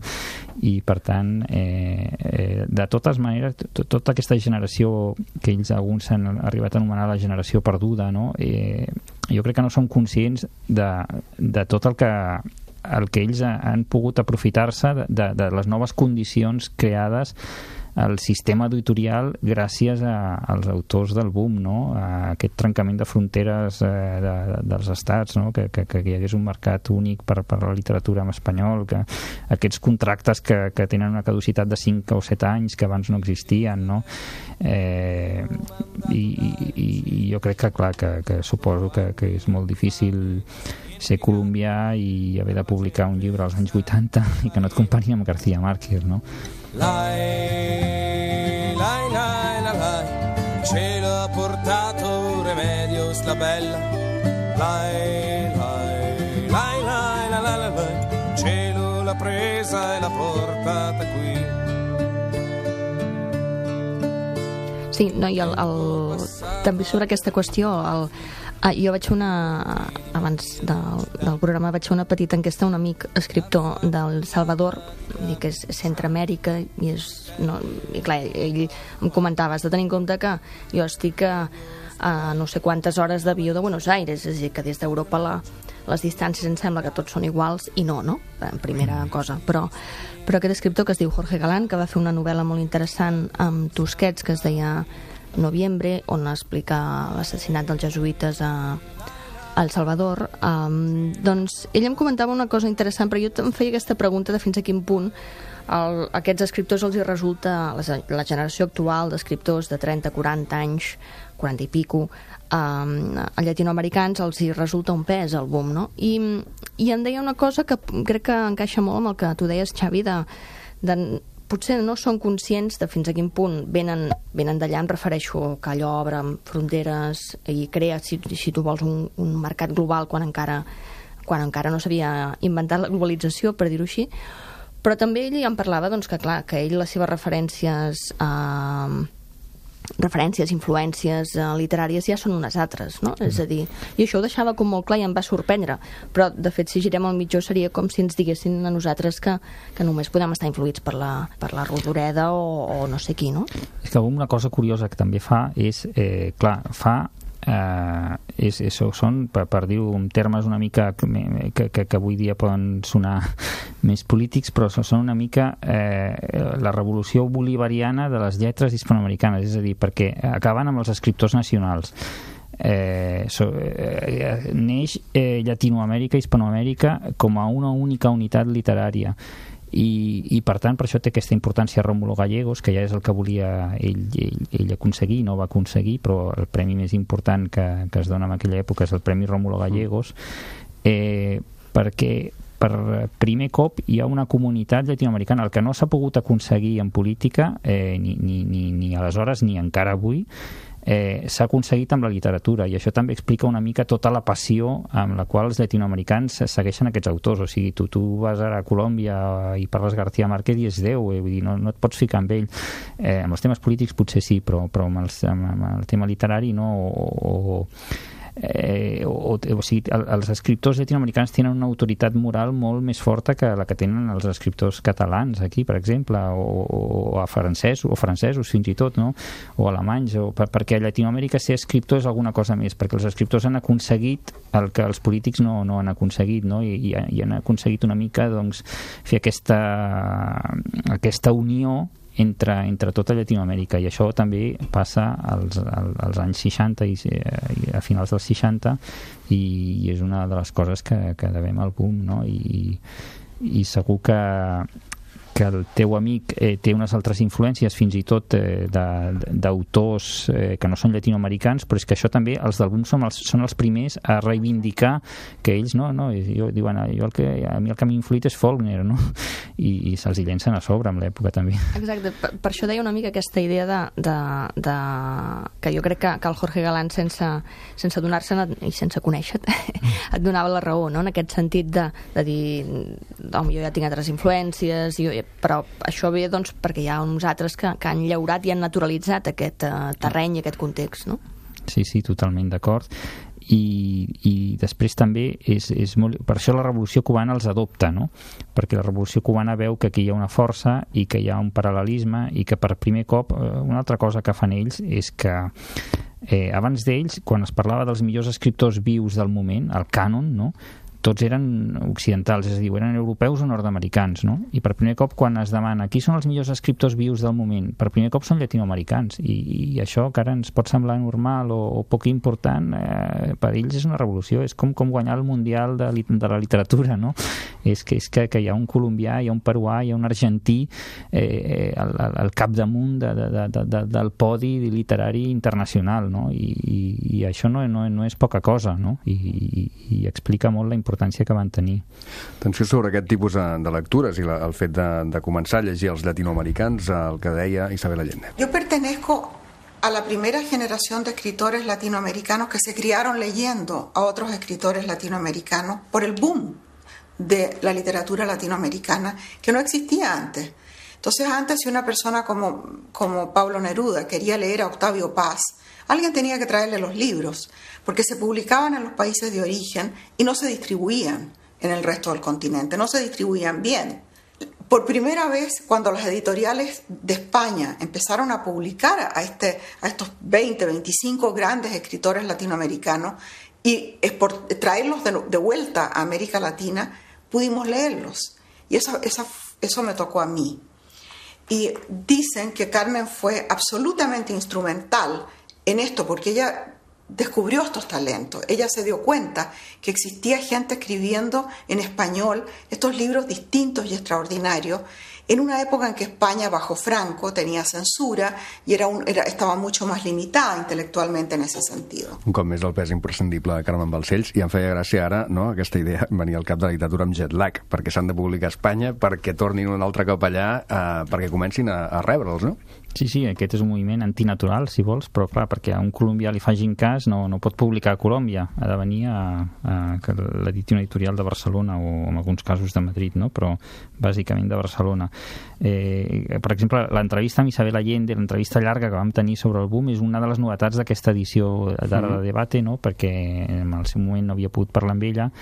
I per tant, de totes maneres, tota aquesta generació que ells alguns s'han arribat a anomenar la generació perduda, no? Jo crec que no són conscients de tot el que ells han pogut aprofitar-se de les noves condicions creades al sistema editorial gràcies als autors del boom, no? A aquest trencament de fronteres dels estats, no? Que hi hagués un mercat únic per la literatura en espanyol, que aquests contractes que tenen una caducitat de 5 o 7 anys que abans no existien, no? I jo crec que, clar, que suposo que és molt difícil ser colombià i haver de publicar un llibre als anys 80 i que no et compari amb García Márquez, no? Lai, lai, lai, lai, lai, cielo ha portato Remedios la bella. Lai, lai, lai, lai, lai, lai, lai, cielo l'ha presa e l'ha portata qui. Sí, no, i també sobre aquesta qüestió, Jo vaig fer abans del programa vaig fer una petita enquesta a un amic escriptor del Salvador, que és Centreamèrica, i clar, ell em comentava, has de tenir en compte que jo estic a no sé quantes hores d'avió de Buenos Aires, és a dir, que des d'Europa les distàncies em sembla que tots són iguals, i no, en primera cosa, però aquest escriptor que es diu Jorge Galán, que va fer una novel·la molt interessant amb Tusquets que es deia Noviembre, on explica l'assassinat dels jesuïtes a El Salvador, doncs ell em comentava una cosa interessant, però jo em feia aquesta pregunta de fins a quin punt aquests escriptors els hi resulta, la generació actual d'escriptors de 30, 40 anys, 40 i pico, llatinoamericans els hi resulta un pes el boom, no? I em deia una cosa que crec que encaixa molt amb el que tu deies, Xavi, potser no són conscients de fins a quin punt venen d'allà, em refereixo que allò obre fronteres i crea, si tu vols, un mercat global quan encara no s'havia inventat la globalització, per dir-ho així, però també ell em parlava que clar, que ell les seves referències, influències literàries ja són unes altres, no? És a dir, i això ho deixava com molt clar i em va sorprendre, però de fet si girem al mitjó seria com si ens diguessin a nosaltres que només podem estar influïts per la Rodoreda o no sé qui, no? És que una cosa curiosa que també fa és, són, per dir-ho en termes una mica que avui dia poden sonar més polítics, però són una mica la revolució bolivariana de les lletres hispanoamericanes, és a dir, perquè acaben amb els escriptors nacionals. Neix Llatinoamèrica i Hispanoamèrica com a una única unitat literària. I per tant, per això té aquesta importància Rómulo Gallegos, que ja és el que volia ell aconseguir, no va aconseguir, però el premi més important que es dona en aquella època és el Premi Rómulo Gallegos, perquè per primer cop hi ha una comunitat llatinoamericana, el que no s'ha pogut aconseguir en política ni aleshores ni encara avui, s'ha aconseguit amb la literatura, i això també explica una mica tota la passió amb la qual els llatinoamericans segueixen aquests autors. O sigui, tu vas ara a Colòmbia i parles García Márquez i és Déu, vull dir, no et pots ficar amb ell. Amb els temes polítics potser sí, però amb el tema literari no, o sigui, els escriptors llatinoamericans tenen una autoritat moral molt més forta que la que tenen els escriptors catalans aquí, per exemple, o francesos fins i tot, no? O alemanys, perquè a Llatinoamèrica ser escriptor és alguna cosa més, perquè els escriptors han aconseguit el que els polítics no han aconseguit, no? I han aconseguit una mica fer aquesta unió entre tota Llatinoamèrica, i això també passa als anys 60 i a finals dels 60, i és una de les coses que devem al boom, no? I segur que el teu amic té unes altres influències, fins i tot d'autors que no són llatinoamericans, però és que això també, els del boom són els primers a reivindicar que ells diuen, a mi el que m'ha influït és Faulkner, no? I se'ls hi llencen a sobre amb l'època també. Exacte, per això deia una mica aquesta idea que jo crec que el Jorge Galán sense donar-se'n i sense conèixer et donava la raó, no? En aquest sentit de dir, home, jo ja tinc altres influències, però això ve perquè hi ha uns altres que han llaurat i han naturalitzat aquest terreny i aquest context, no? Sí, totalment d'acord. I després també és molt... Per això la Revolució Cubana els adopta, no? Perquè la Revolució Cubana veu que aquí hi ha una força i que hi ha un paral·lelisme, i que per primer cop una altra cosa que fan ells és que abans d'ells, quan es parlava dels millors escriptors vius del moment, el cànon, no?, tots eren occidentals, és a dir, eren europeus o nord-americans, no? I per primer cop, quan es demana qui són els millors escriptors vius del moment, per primer cop són llatinoamericans, i això que ara ens pot semblar normal o poc important, per ells és una revolució, és com guanyar el Mundial de la literatura, no? És que hi ha un colombià, hi ha un peruà, hi ha un argentí al capdamunt del podi literari internacional, no? I això no és poca cosa, no? I explica molt la importància que van tenir. Atenció sobre aquest tipus de lectures i el fet de començar a llegir els latinoamericans, el que deia Isabel Allende. Yo pertenezco a la primera generación de escritores latinoamericanos que se criaron leyendo a otros escritores latinoamericanos por el boom de la literatura latinoamericana que no existía antes. Entonces antes, si una persona como Pablo Neruda quería leer a Octavio Paz, alguien tenía que traerle los libros, porque se publicaban en los países de origen y no se distribuían en el resto del continente, no se distribuían bien. Por primera vez, cuando las editoriales de España empezaron a publicar a estos 20, 25 grandes escritores latinoamericanos y traerlos de vuelta a América Latina, pudimos leerlos. Y eso me tocó a mí. Y dicen que Carmen fue absolutamente instrumental en esto, porque ella descubrió estos talentos. Ella se dio cuenta que existía gente escribiendo en español estos libros distintos y extraordinarios en una época en que España, bajo Franco, tenía censura i estava mucho más limitada intelectualmente en ese sentido. Un cop més el pes imprescindible de Carmen Balcells, i em feia gràcia ara, no?, aquesta idea venia al cap de la literatura amb jet lag, perquè s'han de publicar a Espanya, perquè tornin un altre cop allà, perquè comencin a rebre'ls, no? Sí, aquest és un moviment antinatural, si vols, però clar, perquè a un colombià li facin cas no pot publicar a Colòmbia, ha de venir a l'editorial de Barcelona o en alguns casos de Madrid, no? Però bàsicament de Barcelona. Per exemple, l'entrevista amb Isabel Allende, l'entrevista llarga que vam tenir sobre el boom, és una de les novetats d'aquesta edició d'Ara de Debate, no? Perquè en el seu moment no havia pogut parlar amb ella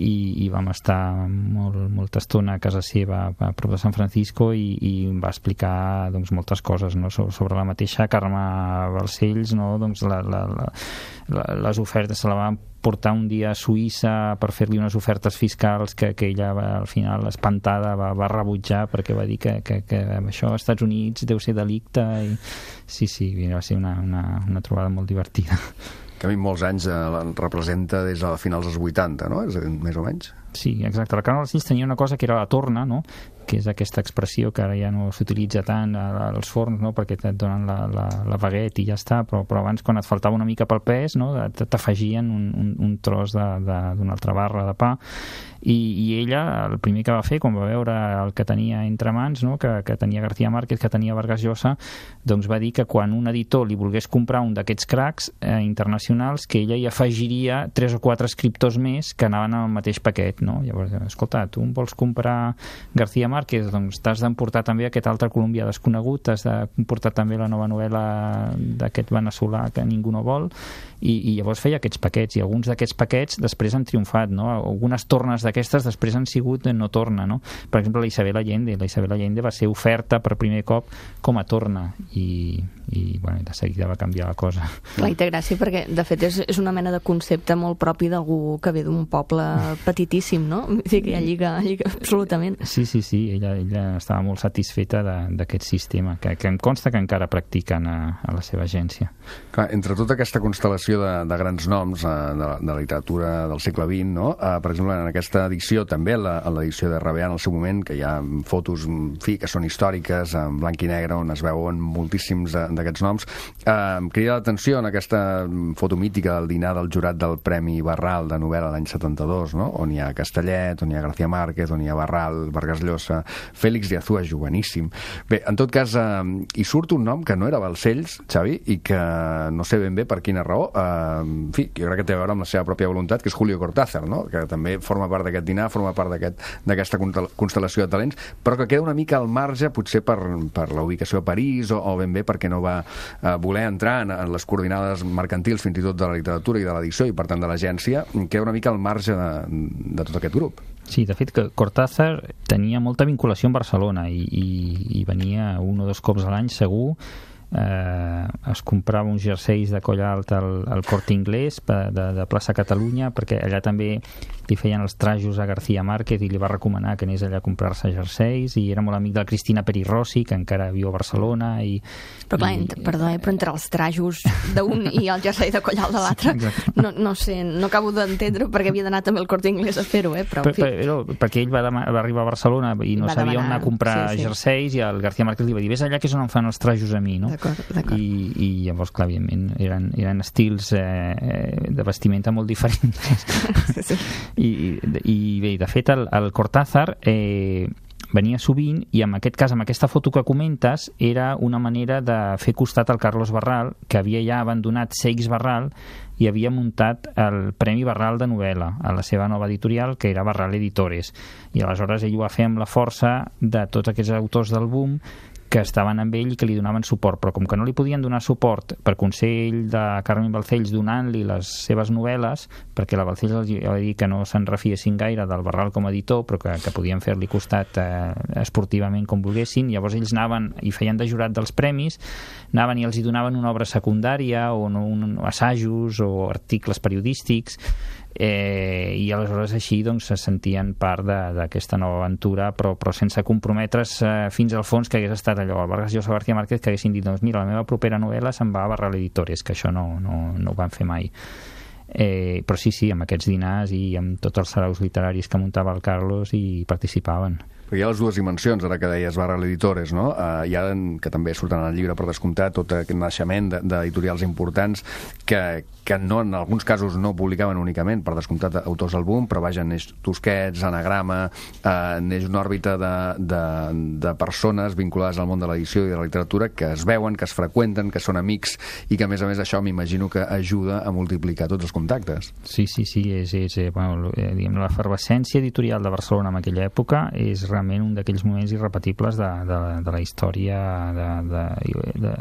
i vam estar molta estona a casa seva a prop de San Francisco i va explicar doncs, moltes coses, no? Sobre la mateixa Carme Balcells, no? Doncs les ofertes se la van portar un dia a Suïssa per fer-li unes ofertes fiscals que ella al final espantada va rebutjar perquè va dir que això als Estats Units deu ser delicte i sí, va ser una trobada molt divertida. Que a mi molts anys representa des de finals dels 80, no? És a dir, més o menys. Sí, exacte. La Carme Balcells tenia una cosa que era la torna, no? Que és aquesta expressió que ara ja no s'utilitza tant als forns, no? Perquè et donen la baguette i ja està, però abans quan et faltava una mica pel pes, no? T'afegien un tros d'una altra barra de pa i ella, el primer que va fer quan va veure el que tenia entre mans, no? que tenia García Márquez, que tenia Vargas Llosa, doncs va dir que quan un editor li volgués comprar un d'aquests cracs internacionals, que ella hi afegiria 3 o 4 escriptors més que anaven al mateix paquet, no? Llavors, escolta, tu vols comprar García Márquez, doncs t'has d'emportar també aquest altre colombià desconegut, t'has d'emportar també la nova novel·la d'aquest veneçolà que ningú no vol, i llavors feia aquests paquets, i alguns d'aquests paquets després han triomfat, no? Algunes tornes d'aquestes després han sigut no torna, no? Per exemple, la Isabel Allende va ser oferta per primer cop com a torna i bueno, de seguida va canviar la cosa. Clar, i té gràcia perquè de fet és una mena de concepte molt propi d'algú que ve d'un poble petitíssim, no? Sí, que ja lliga absolutament. Sí, ella estava molt satisfeta d'aquest sistema, que em consta que encara practiquen a la seva agència. Clar, entre tota aquesta constel·lació de grans noms de la literatura del segle XX, no? Per exemple, en aquesta edició, també en l'edició de Rabeà en el seu moment, que hi ha fotos que són històriques, en blanc i negre, on es veuen moltíssims d'aquests noms, em crida l'atenció en aquesta foto mítica del dinar del jurat del Premi Barral de novel·la l'any 72, no? On hi ha Castellet, on hi ha García Márquez, on hi ha Barral, Vargas Llosa, Félix de Azúa, joveníssim. Bé, en tot cas, hi surt un nom que no era Balcells, Xavi, i que no sé ben bé per quina raó, en fi, jo crec que té a veure amb la seva pròpia voluntat, que és Julio Cortázar, no? Que també forma part d'aquest dinar, forma part d'aquesta constel·lació de talents, però que queda una mica al marge, potser per la ubicació a París, o ben bé perquè no va voler entrar en les coordinades mercantils, fins i tot de la literatura i de l'edició, i per tant de l'agència, queda una mica al marge de tot aquest grup. Sí, de fet, que Cortázar tenia molta vinculació amb Barcelona i venia 1 o 2 cops a l'any, segur. Es comprava uns jerseis de coll alt al Corte Inglés de plaça Catalunya, perquè allà també li feien els trajos a García Márquez i li va recomanar que anés allà a comprar-se jerseis, i era molt amic de la Cristina Peri Rossi, que encara viu a Barcelona. Però clar, però entre els trajos d'un i el jersei de coll alt de l'altre, no sé, no acabo d'entendre perquè havia d'anar també al Corte Inglés a fer-ho, però en fi. Perquè ell va arribar a Barcelona i no sabia on anar a comprar jerseis, i el García Márquez li va dir, vés allà que és on em fan els trajos a mi, no? D'acord. I llavors, clar, evidentment, eren estils de vestimenta molt diferents. I bé, de fet, el Cortázar venia sovint, i en aquest cas, amb aquesta foto que comentes, era una manera de fer costat al Carlos Barral, que havia ja abandonat Seix Barral i havia muntat el Premi Barral de novel·la a la seva nova editorial, que era Barral Editores. I aleshores ell ho va fer amb la força de tots aquests autors del boom que estaven amb ell i que li donaven suport, però com que no li podien donar suport per consell de Carmen Balcells donant-li les seves novel·les, perquè la Balcells els va dir que no se'n refiessin gaire del Barral com a editor, però que podien fer-li costat esportivament com volguessin, llavors ells anaven i feien de jurat dels premis, anaven i els hi donaven una obra secundària o assajos o articles periodístics, i aleshores així doncs se sentien part d'aquesta nova aventura, però sense comprometre's fins al fons, que hagués estat allò el Vargas Llosa o García Márquez, que haguessin dit doncs mira, la meva propera novel·la se'n va a Barral Editores, que això no ho van fer mai. Però sí, amb aquests dinars i amb tots els saraus literaris que muntava el Carlos hi participaven. Perquè hi ha les dues dimensions, ara que deies Barral Editores, no? Hi ha, que també surten al llibre per descomptat, tot aquest naixement d'editorials importants que no, en alguns casos no publicaven únicament, per descomptat, autors del boom, però vaja, neix Tusquets, Anagrama, neix una òrbita de persones vinculades al món de l'edició i de la literatura que es veuen, que es freqüenten, que són amics i que, a més això, m'imagino que ajuda a multiplicar tots els contactes. Sí, és bueno, diguem, l'efervescència editorial de Barcelona en aquella època és realment un d'aquells moments irrepetibles de la història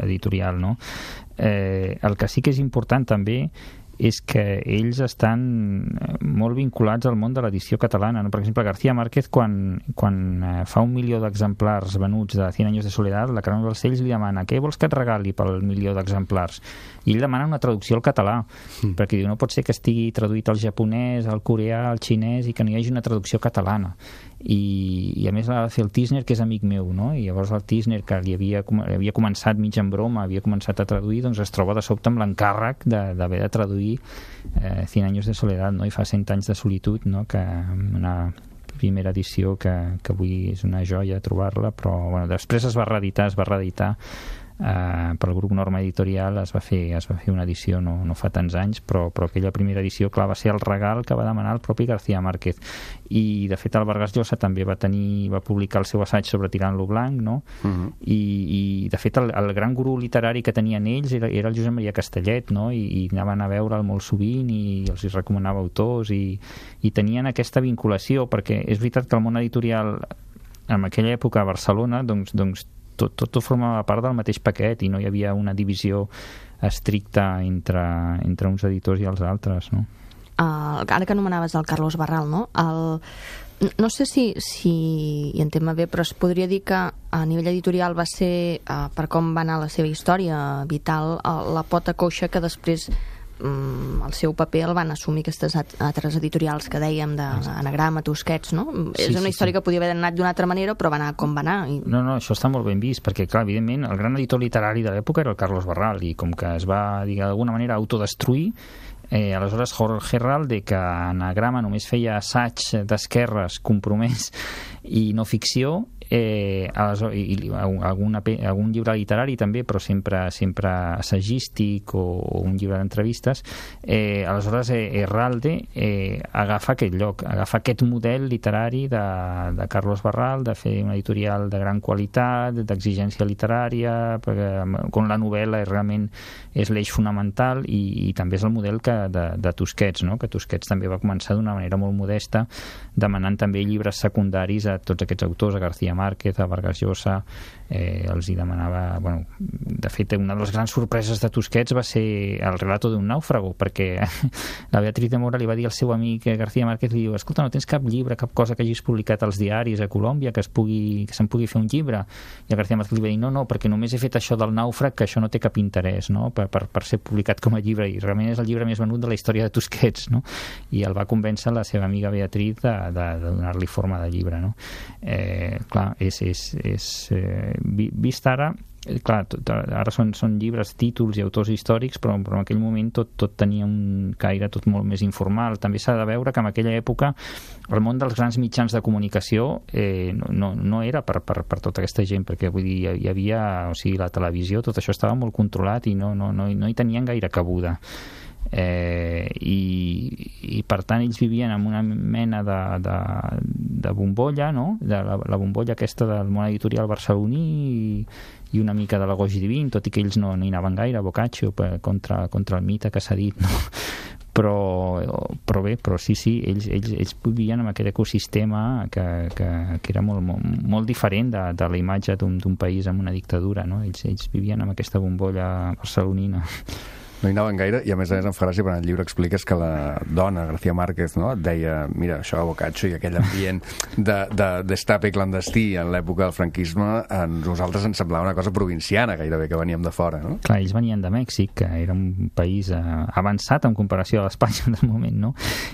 editorial, no? El que sí que és important també és que ells estan molt vinculats al món de l'edició catalana, no? Per exemple, García Márquez, quan fa 1 milió d'exemplars venuts de 100 anys de soledat, la Carmen Balcells li demana què vols que et regali pel 1 milió d'exemplars? I ell demana una traducció al català, perquè diu, no pot ser que estigui traduït al japonès, al coreà, al xinès, i que no hi hagi una traducció catalana. I a més l'ha de fer el Tisner, que és amic meu, no? I llavors el Tisner, que li havia començat mig en broma, havia començat a traduir, doncs es troba de sobte amb l'encàrrec d'haver de traduir 100 anys de soledat, no? I fa 100 anys de solitud, no? Que una primera edició que avui és una joia trobar-la, però bueno, després es va reeditar pel grup Norma Editorial, es va fer una edició no fa tants anys, però aquella primera edició, clar, va ser el regal que va demanar el propi García Márquez. I de fet el Vargas Llosa també va publicar el seu assaig sobre Tirant-lo Blanc, no? I de fet el gran gurú literari que tenien ells era el Josep Maria Castellet, no? I anaven a veure'l molt sovint i els hi recomanava autors i tenien aquesta vinculació, perquè és veritat que el món editorial en aquella època a Barcelona doncs tot formava part del mateix paquet i no hi havia una divisió estricta entre uns editors i els altres, no? Ara que anomenaves el Carlos Barral, no? No sé si hi entén bé, però es podria dir que a nivell editorial va ser, per com va anar la seva història vital, la pota coixa que després el seu paper el van assumir aquestes altres editorials que dèiem d'Anagrama, Tusquets, no? És una història que podia haver anat d'una altra manera, però va anar com va anar. No, això està molt ben vist, perquè, clar, evidentment, el gran editor literari de l'època era el Carlos Barral, i com que es va, d'alguna manera, autodestruir, aleshores Jorge Herralde, que Anagrama només feia assaig d'esquerres compromès i no ficció, algun llibre literari també, però sempre assagístic o un llibre d'entrevistes, aleshores Herralde agafa aquest lloc, agafa aquest model literari de Carlos Barral, de fer una editorial de gran qualitat, d'exigència literària, on la novel·la realment és l'eix fonamental, i també és el model de Tusquets, no? Que Tusquets també va començar d'una manera molt modesta, demanant també llibres secundaris a tots aquests autors, a García Márquez, a Vargas Llosa, els hi demanava... Bueno, de fet, una de les grans sorpreses de Tusquets va ser el relato d'un nàufrago, perquè la Beatriz de Mora li va dir al seu amic García Márquez, li diu, escolta, no tens cap llibre, cap cosa que hagis publicat als diaris a Colòmbia que se'n pugui fer un llibre? I el García Márquez li va dir, no, perquè només he fet això del nàufrag, que això no té cap interès, no? Per ser publicat com a llibre, i realment és el llibre més venut de la història de Tusquets, no? I el va convèncer la seva amiga Beatriz de donar-li forma de llibre, no? Clar, vist ara, clar, ara són llibres, títols i autors històrics, però en aquell moment tot tenia un caire tot molt més informal. També s'ha de veure que en aquella època el món dels grans mitjans de comunicació no era per tota aquesta gent, perquè vull dir, hi havia, o sigui, la televisió, tot això estava molt controlat i no hi tenien gaire cabuda. i per tant ells vivien en una mena de bombolla, no? De la bombolla aquesta del món editorial barceloní i una mica de la Goix Divin, tot i que ells no hi anaven gaire, Boccaccio, contra el mite que s'ha dit, no? Però sí, ells vivien en aquest ecosistema que era molt diferent de la imatge d'un país amb una dictadura, no? Ells vivien en aquesta bombolla barcelonina. No hi anaven gaire, i a més em fa gràcia, perquè en el llibre expliques que la dona, García Márquez, no, et deia, mira, això, Boccaccio i aquell ambient d'estape clandestí en l'època del franquisme, a nosaltres ens semblava una cosa provinciana, gairebé, que veníem de fora, no? Clar, ells venien de Mèxic, que era un país avançat en comparació a l'Espanya del moment, no?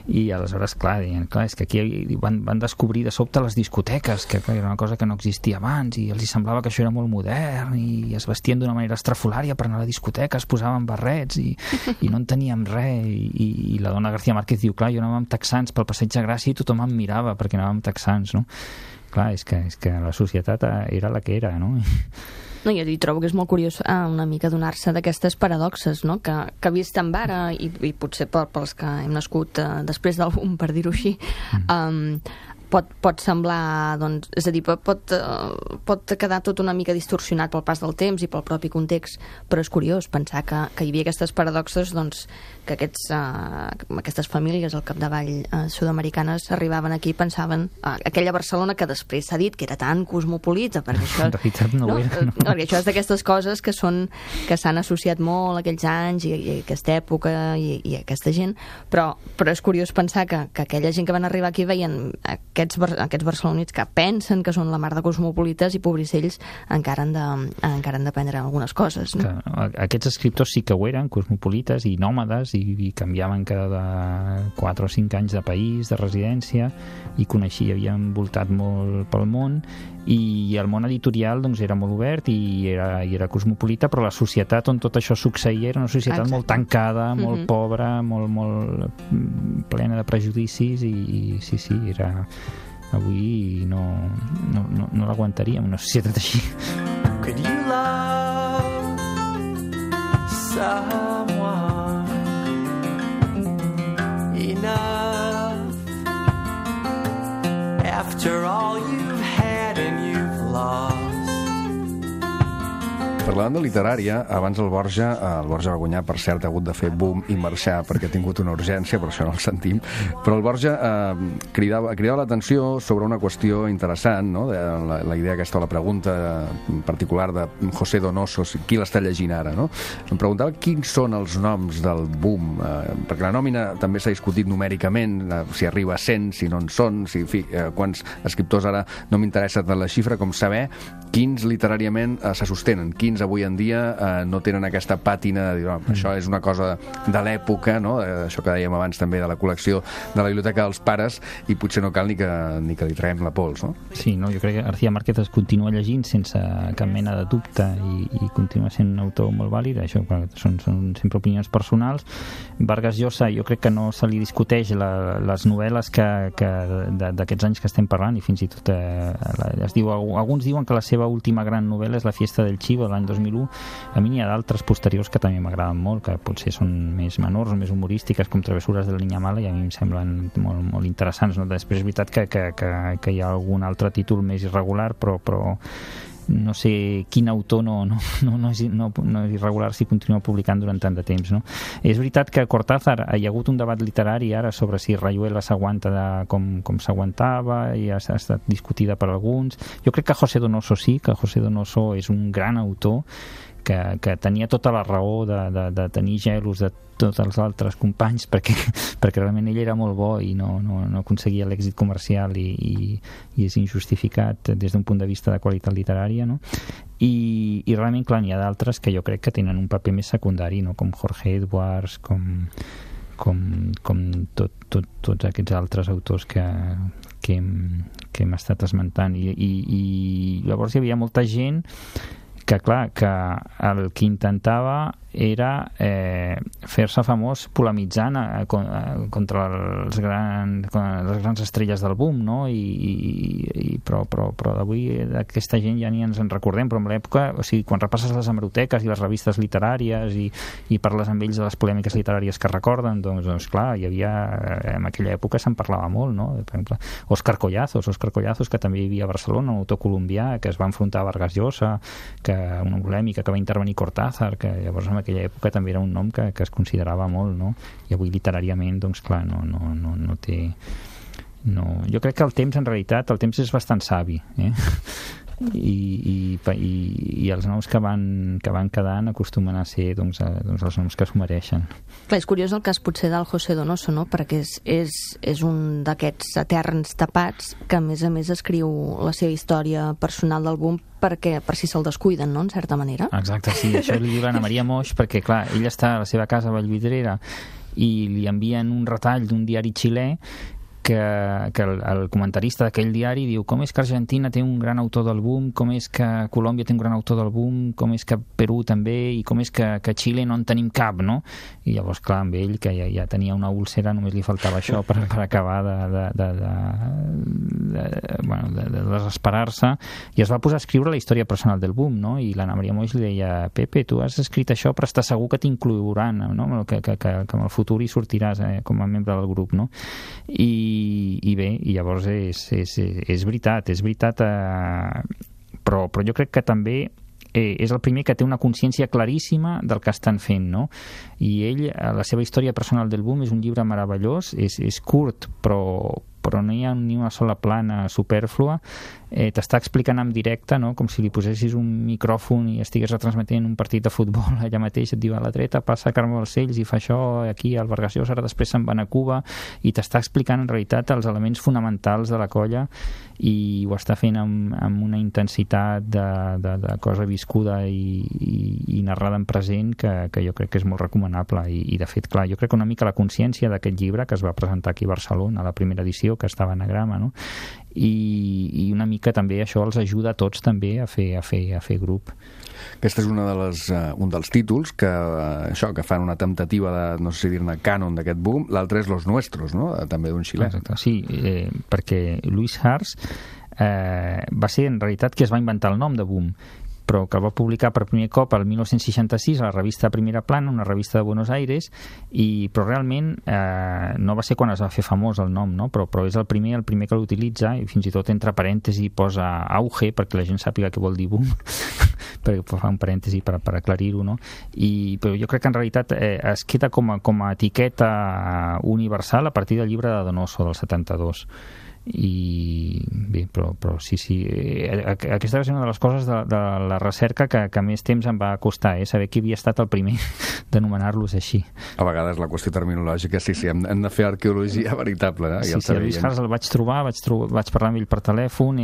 I aleshores, clar, és que aquí van descobrir de sobte les discoteques, que era una cosa que no existia abans, i els semblava que això era molt modern, i es vestien d'una manera estrafolària per anar a la discoteca, es posaven barrets, i no en teníem res, i la dona García Márquez diu, clar, jo anava amb texans pel Passeig de Gràcia i tothom em mirava perquè anava amb texans, no? Clar, és que la societat era la que era, no? No, jo trobo que és molt curiós una mica donar-se d'aquestes paradoxes, no? Que vistem ara, i potser pels que hem nascut després del boom, per dir-ho així, pot semblar, doncs, és a dir, pot quedar tot una mica distorsionat pel pas del temps i pel propi context, però és curiós pensar que hi havia aquestes paradoxes, doncs, que aquestes famílies al capdavall sud-americanes arribaven aquí i pensaven aquella Barcelona que després s'ha dit que era tan cosmopolita, perquè això, en realitat no ho era, no? Perquè això és d'aquestes coses que s'han associat molt a aquells anys i aquesta època i aquesta gent, però és curiós pensar que aquella gent que van arribar aquí veien aquests barcelonits que pensen que són la mar de cosmopolites i pobrissells encara han d'aprendre algunes coses, no? Aquests escriptors sí que ho eren, cosmopolites i nòmades, i canviaven cada 4 o 5 anys de país, de residència, i havien voltat molt pel món, i el món editorial doncs era molt obert i era cosmopolita, però la societat on tot això succeïa era una societat molt tancada, molt pobra, molt plena de prejudicis, i sí, era... Avui no l'aguantaríem, una societat així. Could you love someone enough after all you've had and you've lost? Parlant de literària, abans el Borja va guanyar, per cert, ha hagut de fer boom i marxar perquè ha tingut una urgència, per això no el sentim, però el Borja cridava l'atenció sobre una qüestió interessant, no? La idea aquesta, la pregunta particular de José Donoso, qui l'està llegint ara, no? Em preguntava quins són els noms del boom, perquè la nòmina també s'ha discutit numèricament, si arriba a 100, si no en són, quants escriptors, ara no m'interessa tant la xifra com saber quins literàriament se sostenen, quins avui en dia no tenen aquesta pàtina de dir, això és una cosa de l'època, no? Això que dèiem abans també de la col·lecció de la biblioteca dels pares, i potser no cal ni que li traiem la pols, no? Sí, no? Jo crec que García Márquez es continua llegint sense cap mena de dubte i continua sent un autor molt vàlid, això són sempre opinions personals. Vargas Llosa, jo crec que no se li discuteix les novel·les d'aquests anys que estem parlant, i fins i tot alguns diuen que la seva última gran novel·la és La fiesta del chivo, l'any 2001. A mi n'hi ha d'altres posteriors que també m'agraden molt, que potser són més menors o més humorístiques, com Travessures de la Niña Mala, i a mi em semblen molt, molt interessants, no? Després és veritat que hi ha algun altre títol més irregular, però no sé quin autor no és irregular si continua publicant durant tant de temps, no? És veritat que Cortázar, hi ha hagut un debat literari ara sobre si Rayuela s'aguanta com s'aguantava, i ha estat discutida per alguns. Jo crec que José Donoso sí, que José Donoso és un gran autor que tenia tota la raó de tenir gelos de tots els altres companys, perquè realment ell era molt bo i no aconseguia l'èxit comercial, i és injustificat des d'un punt de vista de qualitat literària, no? I realment, clar, n'hi ha d'altres que jo crec que tenen un paper més secundari, no? Com Jorge Edwards, com tots aquests altres autors que hem estat esmentant, i llavors hi havia molta gent que clar, que el que intentava era fer-se famós polemitzant contra les grans estrelles del boom, no? Però d'avui d'aquesta gent ja ni ens en recordem, però en l'època, o sigui, quan repasses les hemeroteques i les revistes literàries i parles amb ells de les polèmiques literàries que recorden, doncs clar, hi havia, en aquella època se'n parlava molt, no? Per exemple, Óscar Collazos, que també hi havia a Barcelona, un autor colombià que es va enfrontar a Vargas Llosa, una polèmica que va intervenir Cortázar, que llavors en aquella època també era un nom que es considerava molt, no? I avui literàriament, doncs clar, no té... No. Jo crec que el temps, en realitat, el temps és bastant savi, i els noms que van quedant acostumen a ser doncs els noms que s'ho mereixen. Clar, és curiós el cas potser del José Donoso, no? Perquè és un d'aquests eterns tapats que a més escriu la seva història personal del boom per si se'l descuiden, no?, en certa manera. Exacte, sí, això li diu l'Anna Maria Moix, perquè clar, ell està a la seva casa a Vallvidrera i li envien un retall d'un diari xilè que el comentarista d'aquell diari diu com és que Argentina té un gran autor del boom, com és que Colòmbia té un gran autor del boom, com és que Perú també, i com és que Xile no en tenim cap, no? I llavors, clar, amb ell, que ja tenia una úlcera, només li faltava això per acabar de desesperar-se, i es va posar a escriure la història personal del boom, no? I l'Anna Maria Moix li deia, Pepe, tu has escrit això però estàs segur que t'incloeuran, no? Que en el futur hi sortiràs com a membre del grup, no? I bé, i llavors és veritat, però jo crec que també és el primer que té una consciència claríssima del que estan fent, no? I ell, la seva història personal del boom és un llibre meravellós, és curt, però no hi ha ni una sola plana supèrflua, t'està explicant en directe, no? Com si li posessis un micròfon i estigués retransmetent un partit de futbol allà mateix, et diu a la dreta passa Carme Balcells i fa això aquí al Vargas Llosa, ara després se'n van a Cuba, i t'està explicant en realitat els elements fonamentals de la colla, i ho està fent amb una intensitat de cosa viscuda i narrada en present que jo crec que és molt recomanable, i de fet, clar, jo crec que una mica la consciència d'aquest llibre que es va presentar aquí a Barcelona, a la primera edició, que estava a Anagrama, no? I una mica també això els ajuda a tots també a fer grup. Aquest és un dels títols que fan una temptativa de, no sé si dir-ne, cànon d'aquest boom. L'altre és Los Nuestros, no? També d'un xilè. Exacte, sí, perquè Luis Hars va ser en realitat qui es va inventar el nom de boom, però que el va publicar per primer cop el 1966 a la revista Primera Plana, una revista de Buenos Aires, però realment no va ser quan es va fer famós el nom, no? Però és el primer que l'utilitza, i fins i tot entre parèntesi posa auge perquè la gent sàpiga què vol dir boom, perquè fa un parèntesi per aclarir-ho, no? Però jo crec que en realitat es queda com a etiqueta universal a partir del llibre de Donoso del 72. I bé, però sí, aquesta va ser una de les coses de la recerca que més temps em va costar, saber qui havia estat el primer d'anomenar-los així. A vegades la qüestió terminològica, sí, hem de fer arqueologia veritable, Sí, el Luis Hars el vaig trobar, vaig parlar amb ell per telèfon,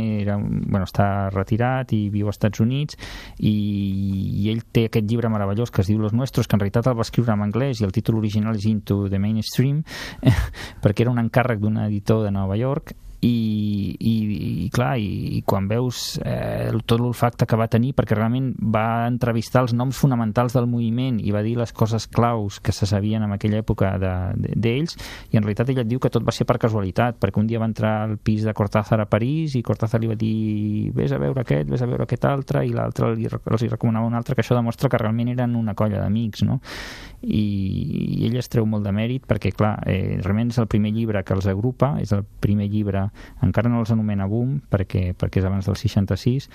està retirat i viu als Estats Units, i ell té aquest llibre meravellós que es diu Los Nuestros, que en realitat el va escriure en anglès i el títol original és Into the Mainstream, perquè era un encàrrec d'un editor de Nova York, i clar, i quan veus tot l'olfacte que va tenir, perquè realment va entrevistar els noms fonamentals del moviment i va dir les coses claus que se sabien en aquella època d'ells, i en realitat ell et diu que tot va ser per casualitat, perquè un dia va entrar al pis de Cortázar a París i Cortázar li va dir vés a veure aquest altre, i l'altre els hi recomanava un altre, que això demostra que realment eren una colla d'amics, no? I ell es treu molt de mèrit perquè, clar, realment és el primer llibre que els agrupa, és el primer llibre, encara no els anomena boom perquè és abans del 66,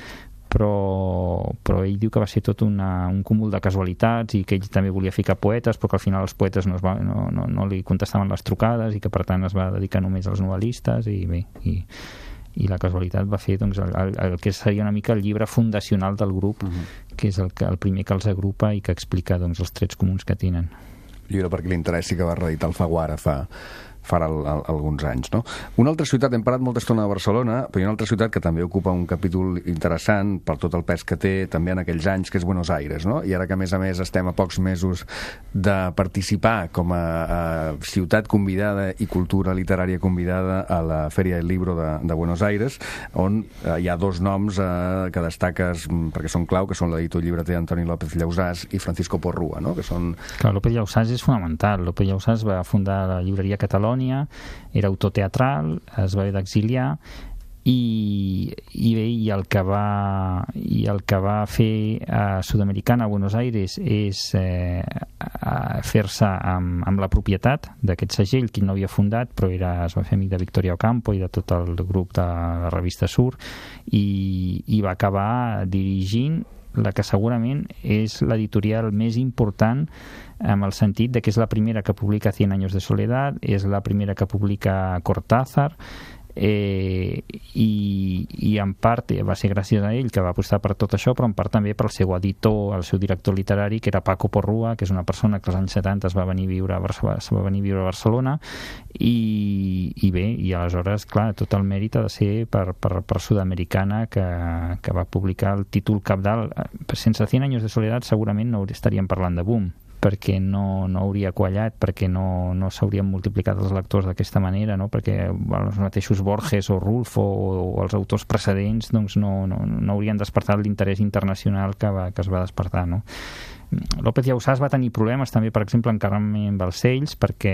però ell diu que va ser tot un cúmul de casualitats, i que ell també volia ficar poetes, però que al final els poetes no li contestaven les trucades, i que per tant es va dedicar només als novel·listes, i bé, i la casualitat va fer doncs, el que seria una mica el llibre fundacional del grup, que és el primer que els agrupa i que explica doncs, els trets comuns que tenen. Llibre perquè li interessi, que va reeditar Alfaguara fa farà alguns anys, no? Una altra ciutat, hem parlat molta estona de Barcelona, però hi ha una altra ciutat que també ocupa un capítol interessant per tot el pes que té també en aquells anys, que és Buenos Aires, no? I ara que a més estem a pocs mesos de participar com a ciutat convidada i cultura literària convidada a la Feria del Libro de Buenos Aires, on hi ha dos noms que destaques perquè són clau, que són l'editor llibreter Antoni López Llausàs i Francisco Porrúa, no? Que són... Clar, López Llausàs és fonamental. López Llausàs va fundar la llibreria Catalònia, era autor teatral, es va haver d'exiliar i el que va fer a Sudamericana, a Buenos Aires, és fer-se amb la propietat d'aquest segell que no havia fundat, però es va fer amic de Victoria Ocampo i de tot el grup de la revista Sur, i va acabar dirigint la que segurament és l'editorial més important en el sentit de que és la primera que publica Cien años de soledad, és la primera que publica Cortázar, i en part va ser gràcies a ell que va apostar per tot això, però en part també pel seu editor, el seu director literari, que era Paco Porrúa, que és una persona que als anys 70 es va venir a viure a Barcelona, i bé, i aleshores, clar, tot el mèrit ha de ser per Sudamericana, que va publicar el títol cabdal. Sense 100 años de soledad segurament no estaríem parlant de boom, perquè no hauria quallat, perquè no s'haurien multiplicat els lectors d'aquesta manera, no? Perquè els mateixos Borges o Rulfo o els autors precedents doncs no haurien despertat l'interès internacional que es va despertar, no? López Llausàs va tenir problemes també, per exemple, en Carmen Balcells, perquè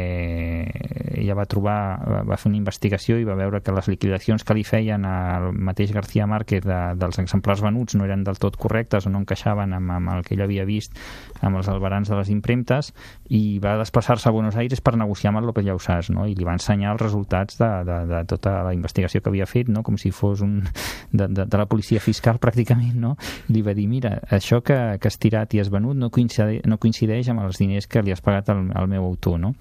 ella va fer una investigació i va veure que les liquidacions que li feien al mateix García Márquez dels exemplars venuts no eren del tot correctes o no encaixaven amb el que ell havia vist amb els albarans de les impremtes, i va desplaçar-se a Buenos Aires per negociar amb el López Llausàs, no? I li va ensenyar els resultats de tota la investigació que havia fet, no? Com si fos de la policia fiscal pràcticament, no? I li va dir, mira, això que has tirat i has venut no coincideix amb els diners que li has pagat al meu autor, no?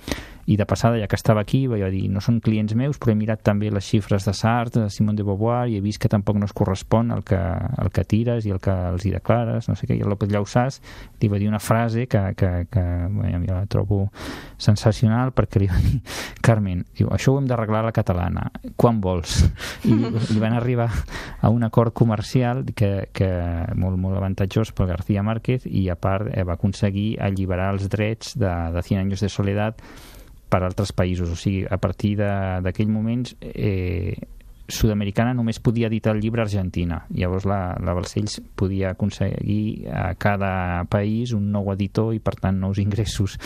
I de passada, ja que estava aquí, va dir, no són clients meus, però he mirat també les xifres de Sartre, de Simone de Beauvoir, i he vist que tampoc no es correspon el que tires i el que els hi declares, no sé què. I el López Llausàs li va dir una frase que jo la trobo sensacional, perquè li va dir, Carmen, diu, això ho hem d'arreglar a la catalana, quan vols? I li van arribar a un acord comercial que molt avantatjós per García Márquez, i a part va aconseguir alliberar els drets de 100 años de soledad per altres països. O sigui, a partir d'aquell moment Sudamericana només podia editar el llibre a Argentina. Llavors la Balcells podia aconseguir a cada país un nou editor i per tant nous ingressos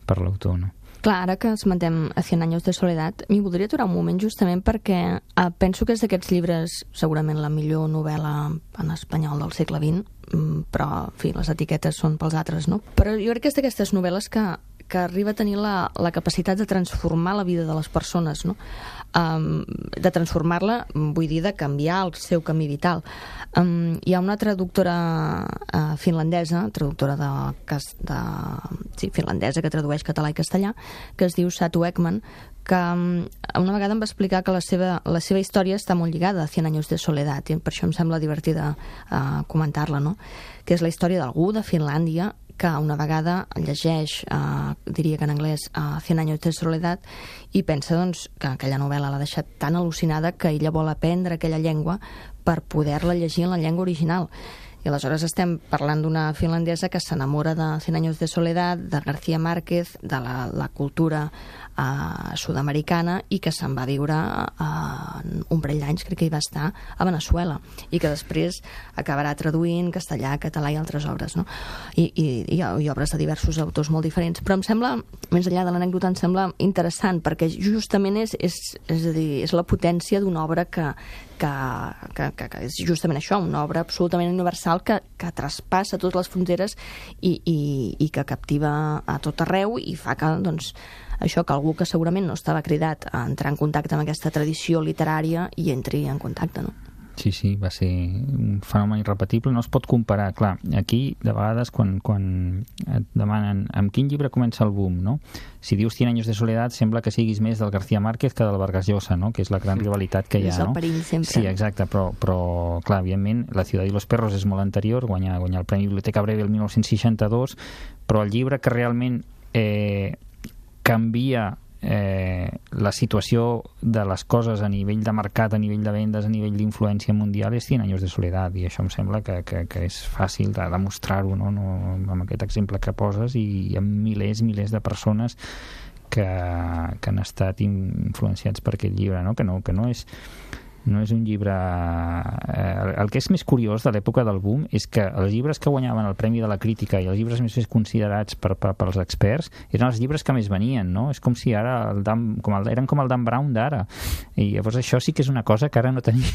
per l'autor, no? Clar, ara que esmentem a 100 años de soledad, m'hi voldria aturar un moment justament perquè penso que és d'aquests llibres segurament la millor novel·la en espanyol del segle XX, però, en fi, les etiquetes són pels altres, no? Però jo crec que és d'aquestes novel·les que arriba a tenir la capacitat de transformar la vida de les persones, no? De transformar-la, vull dir, de canviar el seu camí vital. Hi ha una traductora finlandesa, finlandesa, que tradueix català i castellà, que es diu Satu Ekman, que una vegada em va explicar que la seva història està molt lligada a 100 años de soledad, i per això em sembla divertida comentar-la, no? Que és la història d'algú de Finlàndia que una vegada llegeix, diria que en anglès, 100 años de soledad, i pensa doncs, que aquella novel·la l'ha deixat tan al·lucinada que ella vol aprendre aquella llengua per poder-la llegir en la llengua original. I aleshores estem parlant d'una finlandesa que s'enamora de 100 años de soledad, de García Márquez, de la cultura sudamericana, i que se'n va viure un parell d'anys, crec que hi va estar, a Veneçuela, i que després acabarà traduint castellà, català i altres obres, no? I obres de diversos autors molt diferents. Però em sembla, més enllà de l'anècdota, em sembla interessant, perquè justament és a dir, és la potència d'una obra que és justament això, una obra absolutament universal que traspassa totes les fronteres i que captiva a tot arreu, i fa que, doncs, això, que algú que segurament no estava cridat a entrar en contacte amb aquesta tradició literària i entri en contacte, no? Sí, va ser un fenomen irrepetible, no es pot comparar. Clar, aquí, de vegades, quan et demanen amb quin llibre comença el boom, no? Si dius 100 años de soledad, sembla que siguis més del García Márquez que del Vargas Llosa, no? Que és la gran rivalitat que hi ha, no? És el perill, sempre. Sí, exacte, però clar, evidentment, La ciudad y los perros és molt anterior, guanyar el Premi Biblioteca Breve el 1962, però el llibre que realment canvia la situació de les coses a nivell de mercat, a nivell de vendes, a nivell d'influència mundial és 100 anys de soledat, i això em sembla que és fàcil de demostrar-ho, no, amb aquest exemple que poses, i hi ha milers de persones que han estat influenciats per aquest llibre, no? Que no és un llibre... El que és més curiós de l'època del boom és que els llibres que guanyaven el Premi de la Crítica i els llibres més considerats pels experts eren els llibres que més venien, no? És com si ara eren com el Dan Brown d'ara, i llavors això sí que és una cosa que ara no tenim,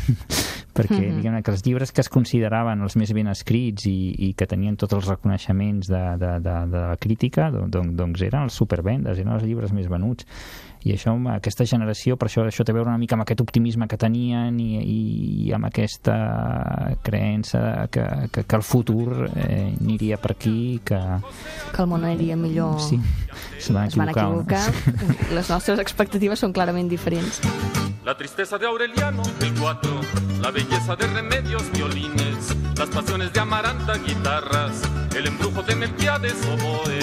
perquè diguem que els llibres que es consideraven els més ben escrits i que tenien tots els reconeixements de la crítica, doncs eren els supervendes, eren els llibres més venuts. I això, aquesta generació, per això té a veure una mica amb aquest optimisme que tenien i amb aquesta creença que el futur aniria per aquí, que el món aniria millor. Sí, es van equivocar. Les nostres expectatives són clarament diferents. La tristeza de Aureliano, el 4, la belleza de Remedios, violines, las pasiones de Amaranta, guitarras, el embrujo de Melquiades, oboe,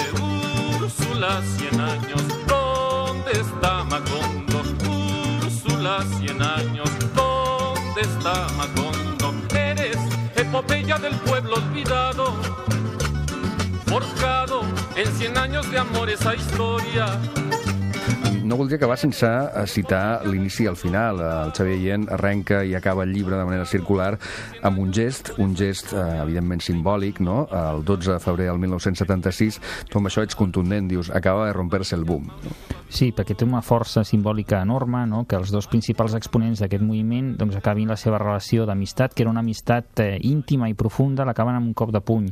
Úrsula, 100 años, ¿dónde está Macondo? Úrsula, 100 años, ¿dónde está Macondo? Eres epopeya del pueblo olvidado, forjado en 100 años de amor esa historia. No voldria acabar sense citar l'inici i el final. El Xavier Allén arrenca i acaba el llibre de manera circular amb un gest evidentment simbòlic, no? El 12 de febrer del 1976, tu amb això ets contundent, dius, acaba de romper-se el boom. Sí, perquè té una força simbòlica enorme, no? Que els dos principals exponents d'aquest moviment doncs, acabin la seva relació d'amistat, que era una amistat íntima i profunda, l'acaben amb un cop de puny.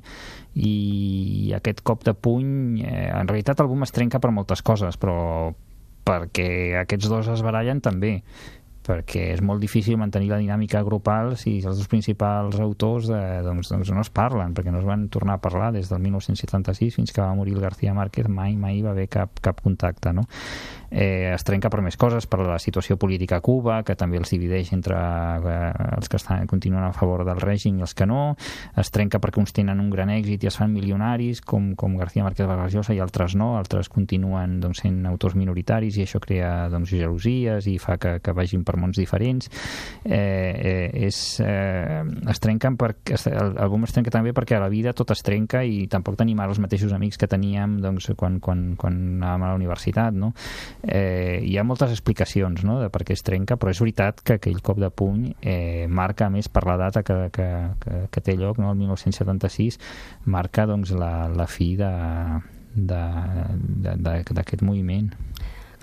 I aquest cop de puny, en realitat el boom es trenca per moltes coses, però perquè aquests dos es barallen també, perquè és molt difícil mantenir la dinàmica grupal si els dos principals autors doncs no es parlen, perquè no es van tornar a parlar des del 1976 fins que va morir el García Márquez, mai va haver cap contacte, no? Es trenca per més coses, per la situació política a Cuba, que també els divideix entre els que continuen a favor del règim i els que no, es trenca perquè uns tenen un gran èxit i es fan milionaris, com García Márquez Vargas Llosa, i altres no, altres continuen doncs, sent autors minoritaris, i això crea doncs, gelosies i fa que vagin per mons diferents. Es trenquen el boom es trenca també perquè a la vida tot es trenca i tampoc tenim ara els mateixos amics que teníem doncs, quan anàvem a la universitat, no? Hi ha moltes explicacions, no?, de per què es trenca, però és veritat que aquell cop de puny marca, més per la data que té lloc, no?, el 1976, marca doncs, la fi d'aquest moviment.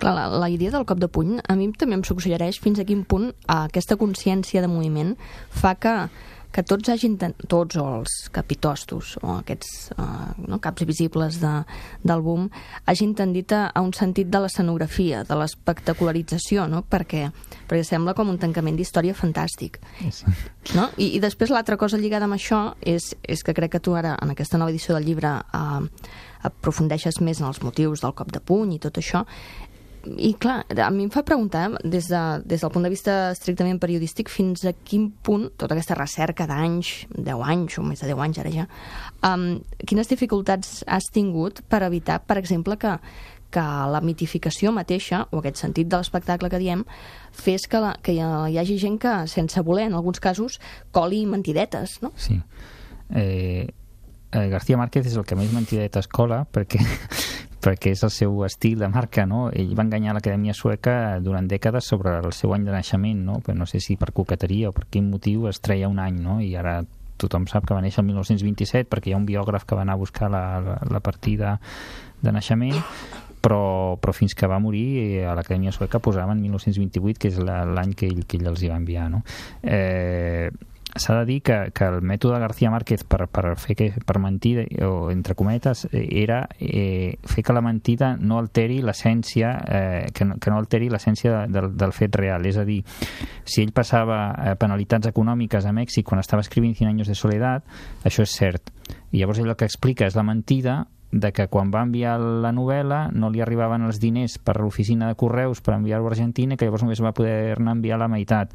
Clar, la idea del cop de puny a mi també em suggereix fins a quin punt aquesta consciència de moviment fa que tots o els capitostos o aquests caps visibles del boom hagin tendit a un sentit de l'escenografia, de l'espectacularització, no? perquè sembla com un tancament d'història fantàstic. Sí. No? I després l'altra cosa lligada amb això és que crec que tu ara en aquesta nova edició del llibre aprofundeixes més en els motius del cop de puny i tot això. I clar, a mi em fa preguntar des del punt de vista estrictament periodístic fins a quin punt tota aquesta recerca d'anys, 10 anys o més de 10 anys ara ja, quines dificultats has tingut per evitar, per exemple, que la mitificació mateixa o aquest sentit de l'espectacle que diem fes que hi hagi gent que sense voler, en alguns casos, coli mentidetes, no? Sí. García Márquez és el que més mentidetes cola perquè és el seu estil de marca, no? Ell va enganyar l'Acadèmia Sueca durant dècades sobre el seu any de naixement, no? Però no sé si per coqueteria o per quin motiu es treia un any, no? I ara tothom sap que va néixer el 1927 perquè hi ha un biògraf que va anar a buscar la partida de naixement, però fins que va morir a l'Acadèmia Sueca posaven 1928, que és l'any que ell els hi va enviar, no? S'ha de dir que el mètode de García Márquez per mentir, o entre cometes, era fer que la mentida no alteri l'essència, que no alteri l'essència del fet real. És a dir, si ell passava penalitats econòmiques a Mèxic quan estava escrivint 100 años de soledad, això és cert. I llavors ell el que explica és la mentida de que quan va enviar la novel·la no li arribaven els diners per l'oficina de correus per enviar-ho a Argentina, que llavors només va poder-ne enviar la meitat,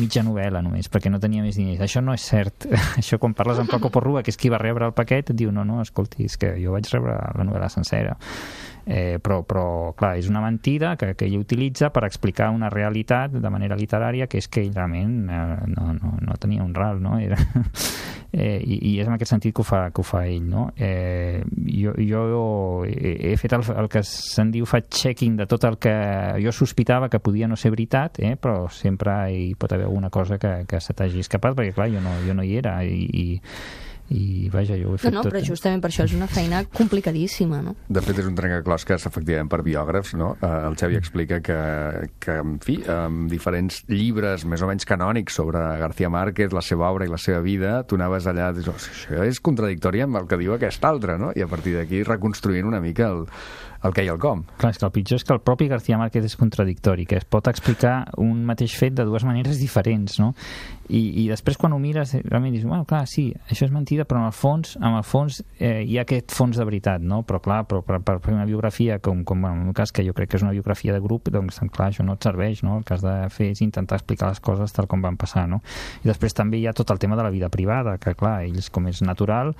mitja novel·la només, perquè no tenia més diners. Això no és cert. Això quan parles amb Paco Porrua, que és qui va rebre el paquet, et diu, no, escolti, és que jo vaig rebre la novel·la sencera. Però, clar, és una mentida que ell utilitza per explicar una realitat de manera literària, que és que ell realment no tenia un ral, no? I és en aquest sentit que ho fa ell, no? Jo he fet el que se'n diu fact-checking de tot el que jo sospitava que podia no ser veritat, però sempre hi pot haver alguna cosa que se t'hagi escapat, perquè clar, jo no hi era i vaja, jo ho he fet tot. Però justament per això és una feina complicadíssima, no? De fet, és un trencaclosques, efectivament, per biògrafs, no? El Xavi explica que en fi, amb diferents llibres més o menys canònics sobre García Márquez, la seva obra i la seva vida, tu anaves allà i dius, això és contradictori amb el que diu aquest altre, no? I a partir d'aquí reconstruint una mica el què i el com. Clar, és que el pitjor és que el propi García Márquez és contradictori, que es pot explicar un mateix fet de dues maneres diferents, no? I després quan ho mires realment dius, bueno, clar, sí, això és mentida, però en el fons hi ha aquest fons de veritat, no? Però clar, per fer una biografia com en el meu cas, que jo crec que és una biografia de grup, doncs clar, això no et serveix, no? El que has de fer és intentar explicar les coses tal com van passar, no? I després també hi ha tot el tema de la vida privada, que clar, ells com és natural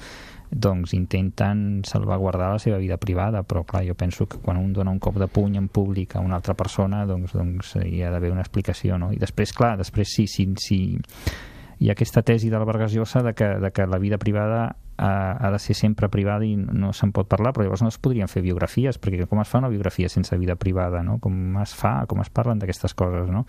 doncs intenten salvaguardar la seva vida privada, però clar, jo penso que quan un dona un cop de puny en públic a una altra persona, doncs hi ha d'haver una explicació, no? I després, clar, sí, hi ha aquesta tesi del Vargas Llosa de que la vida privada ha de ser sempre privada i no se'n pot parlar, però llavors no es podrien fer biografies, perquè com es fa una biografia sense vida privada, no? Com es parlen d'aquestes coses, no?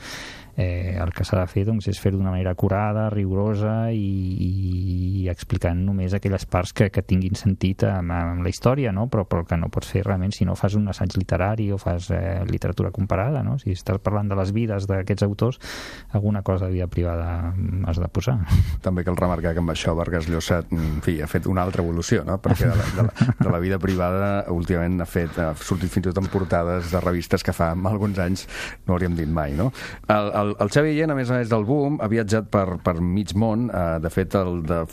El que s'ha de fer doncs, és fer-ho d'una manera acurada, rigorosa i explicant només aquelles parts que tinguin sentit amb la història, no? Però el que no pots fer realment si no fas un assaig literari o fas literatura comparada, no? Si estàs parlant de les vides d'aquests autors, alguna cosa de vida privada has de posar. També cal remarcar que amb això Vargas Llosa, en fi, ha fet una altra evolució, no? Perquè de la vida privada últimament ha sortit fins i tot en portades de revistes que fa alguns anys no hauríem dit mai, no? El Xavi Guillén, a més del boom, ha viatjat per mig món. De fet,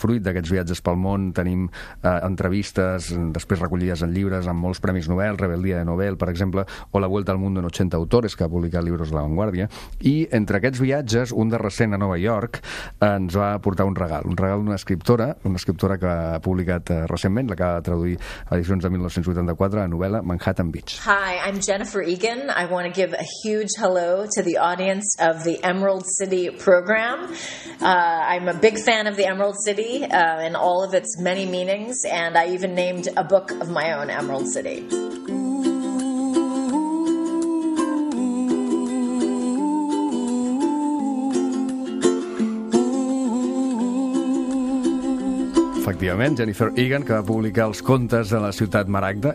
fruit d'aquests viatges pel món tenim entrevistes després recollides en llibres amb molts premis Nobel, Rebeldía de Nobel, per exemple, o La Vuelta al Mundo en 80 autores, que ha publicat Libros de la Vanguardia. I entre aquests viatges, un de recent a Nova York ens va portar un regal d'una escriptora que ha publicat recentment, l'acaba de traduir a edicions de 1984, la novel·la Manhattan Beach. Hi, I'm Jennifer Egan. I want to give a huge hello to the audience of the Emerald City program. I'm a big fan of the Emerald City and all of its many meanings, and I even named a book of my own, Emerald City. Efectivament, Jennifer Egan, que va publicar els contes de la ciutat Maragda,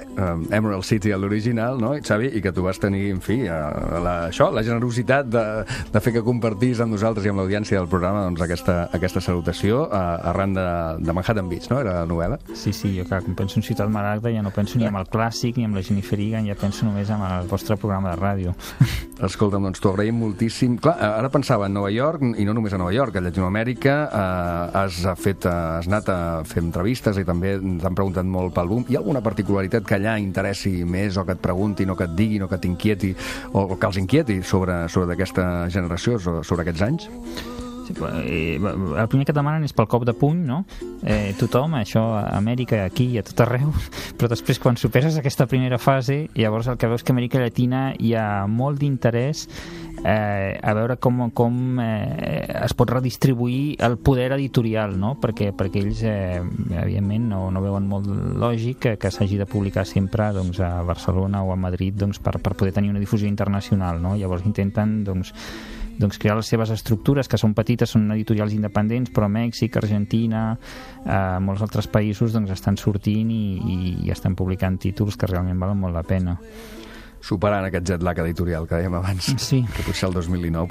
Emerald City a l'original, no, Xavi? I que tu vas tenir, en fi, la generositat de fer que compartís amb nosaltres i amb l'audiència del programa doncs, aquesta salutació arran de Manhattan Beach, no? Era la novel·la? Sí, jo clar, quan penso en Ciutat Maragda ja no penso ni amb el clàssic ni amb la Jennifer Egan, ja penso només amb el vostre programa de ràdio. Escolta'm, doncs t'ho agraïm moltíssim. Clar, ara pensava en Nova York, i no només a Nova York, a Llatinoamèrica has anat a fer entrevistes i també t'han preguntat molt pel boom. Hi ha alguna particularitat que allà interessi més o que et preguntin o que et diguin o que t'inquieti o que els inquieti sobre aquesta generació, sobre aquests anys? Sí, el primer que et demanen és pel cop de puny, no? Tothom, això a Amèrica, aquí i a tot arreu, però després quan superes aquesta primera fase, llavors el que veus que a Amèrica Llatina hi ha molt d'interès a veure com es pot redistribuir el poder editorial, no? Perquè ells evidentment no veuen molt lògic que s'hagi de publicar sempre doncs, a Barcelona o a Madrid doncs, per poder tenir una difusió internacional, no? Llavors intenten doncs, crear les seves estructures, que són petites, són editorials independents, però Mèxic, Argentina, molts altres països doncs, estan sortint i estan publicant títols que realment valen molt la pena. Superant aquest jet lag editorial que dèiem abans, sí. Que potser el 2019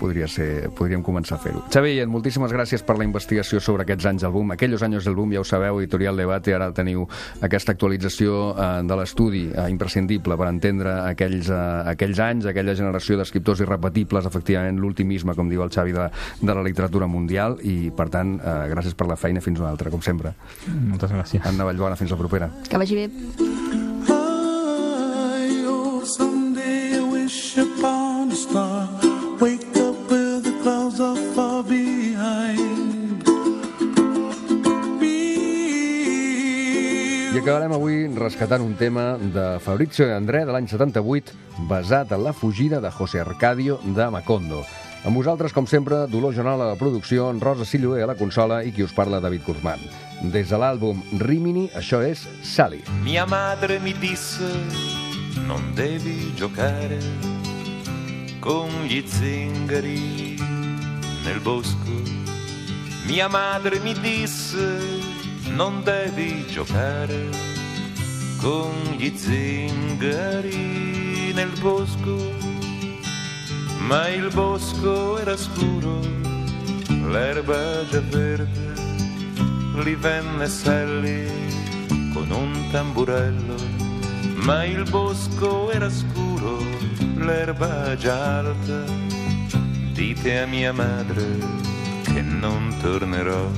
podríem començar a fer-ho. Xavi, moltíssimes gràcies per la investigació sobre aquests anys del boom, aquellos años del boom, ja ho sabeu, Editorial Debate, ara teniu aquesta actualització de l'estudi imprescindible per entendre aquells anys, aquella generació d'escriptors irrepetibles, efectivament l'ultimisme, com diu el Xavi, de la literatura mundial, i per tant, gràcies per la feina, fins una altra, com sempre. Moltes gràcies. Anna Vallbona, fins la propera. Que vagi bé. Upon a star, wake up where the clouds are far behind me. I acabarem acabem avui rescatant un tema de Fabrizio De André de l'any 78, basat en la fugida de José Arcadio de Macondo. Amb vosaltres, com sempre, Dolors Jonal a la producció, Rosa Silloé a la consola i qui us parla, David Guzmán. Des de l'àlbum Rimini, això és Sally. Mia madre mi disse non devi giocare con gli zingari nel bosco. Mia madre mi disse non devi giocare con gli zingari nel bosco. Ma il bosco era scuro, l'erba già verde, lì venne Sally con un tamburello. Ma il bosco era scuro, l'erba già alta, dite a mia madre che non tornerò.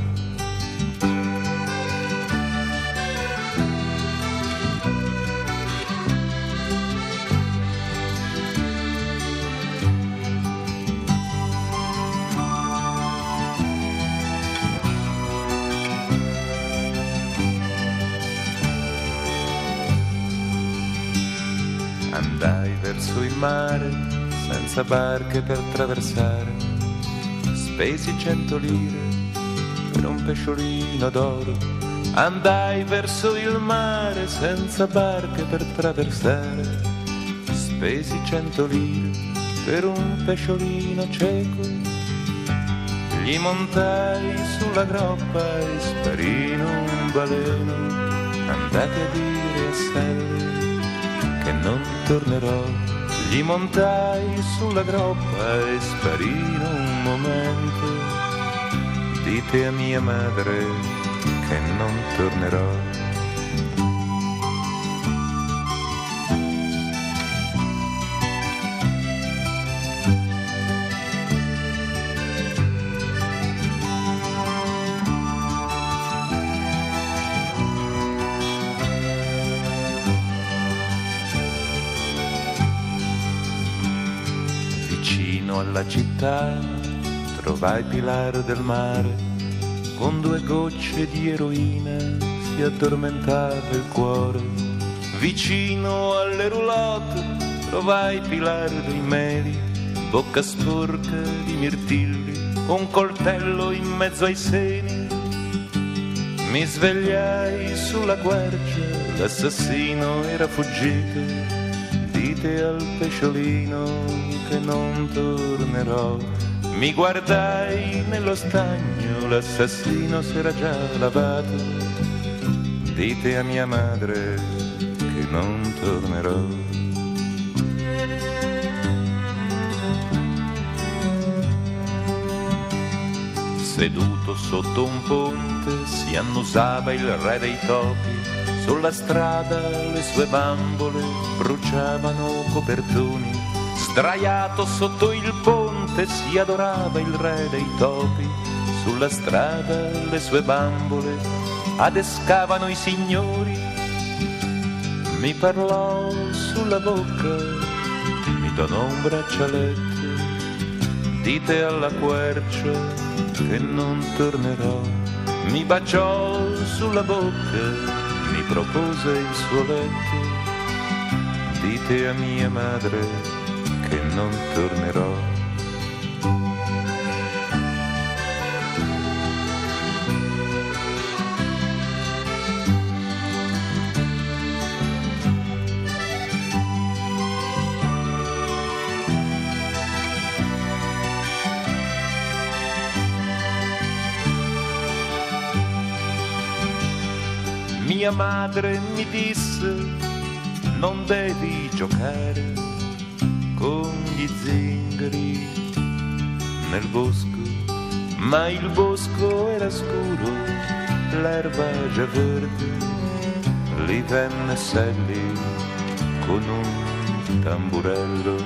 Andai verso il mare senza barche per traversare, spesi 100 lire per un pesciolino d'oro. Andai verso il mare senza barche per traversare, spesi 100 lire per un pesciolino cieco. Gli montai sulla groppa e sparì in un baleno. Andate a dire a Sally che non tornerò. Gli montai sulla groppa e sparì in un momento. Dite a mia madre che non tornerò. Alla città trovai Pilar del Mare, con 2 gocce di eroina si addormentava il cuore. Vicino alle roulotte trovai Pilar dei Meli, bocca sporca di mirtilli, un coltello in mezzo ai seni. Mi svegliai sulla quercia, l'assassino era fuggito. Dite al pesciolino che non tornerò. Mi guardai nello stagno, l'assassino s'era già lavato. Dite a mia madre che non tornerò. Seduto sotto un ponte si annusava il re dei topi. Sulla strada le sue bambole bruciavano copertoni. Sdraiato sotto il ponte si adorava il re dei topi. Sulla strada le sue bambole adescavano i signori. Mi parlò sulla bocca, mi donò un braccialetto. Dite alla quercia che non tornerò. Mi baciò sulla bocca, mi propose il suo letto. Dite a mia madre che non tornerò. Mia madre mi disse non devi giocare con gli zingari nel bosco, ma il bosco era scuro, l'erba già verde, lì venne Sally con un tamburello.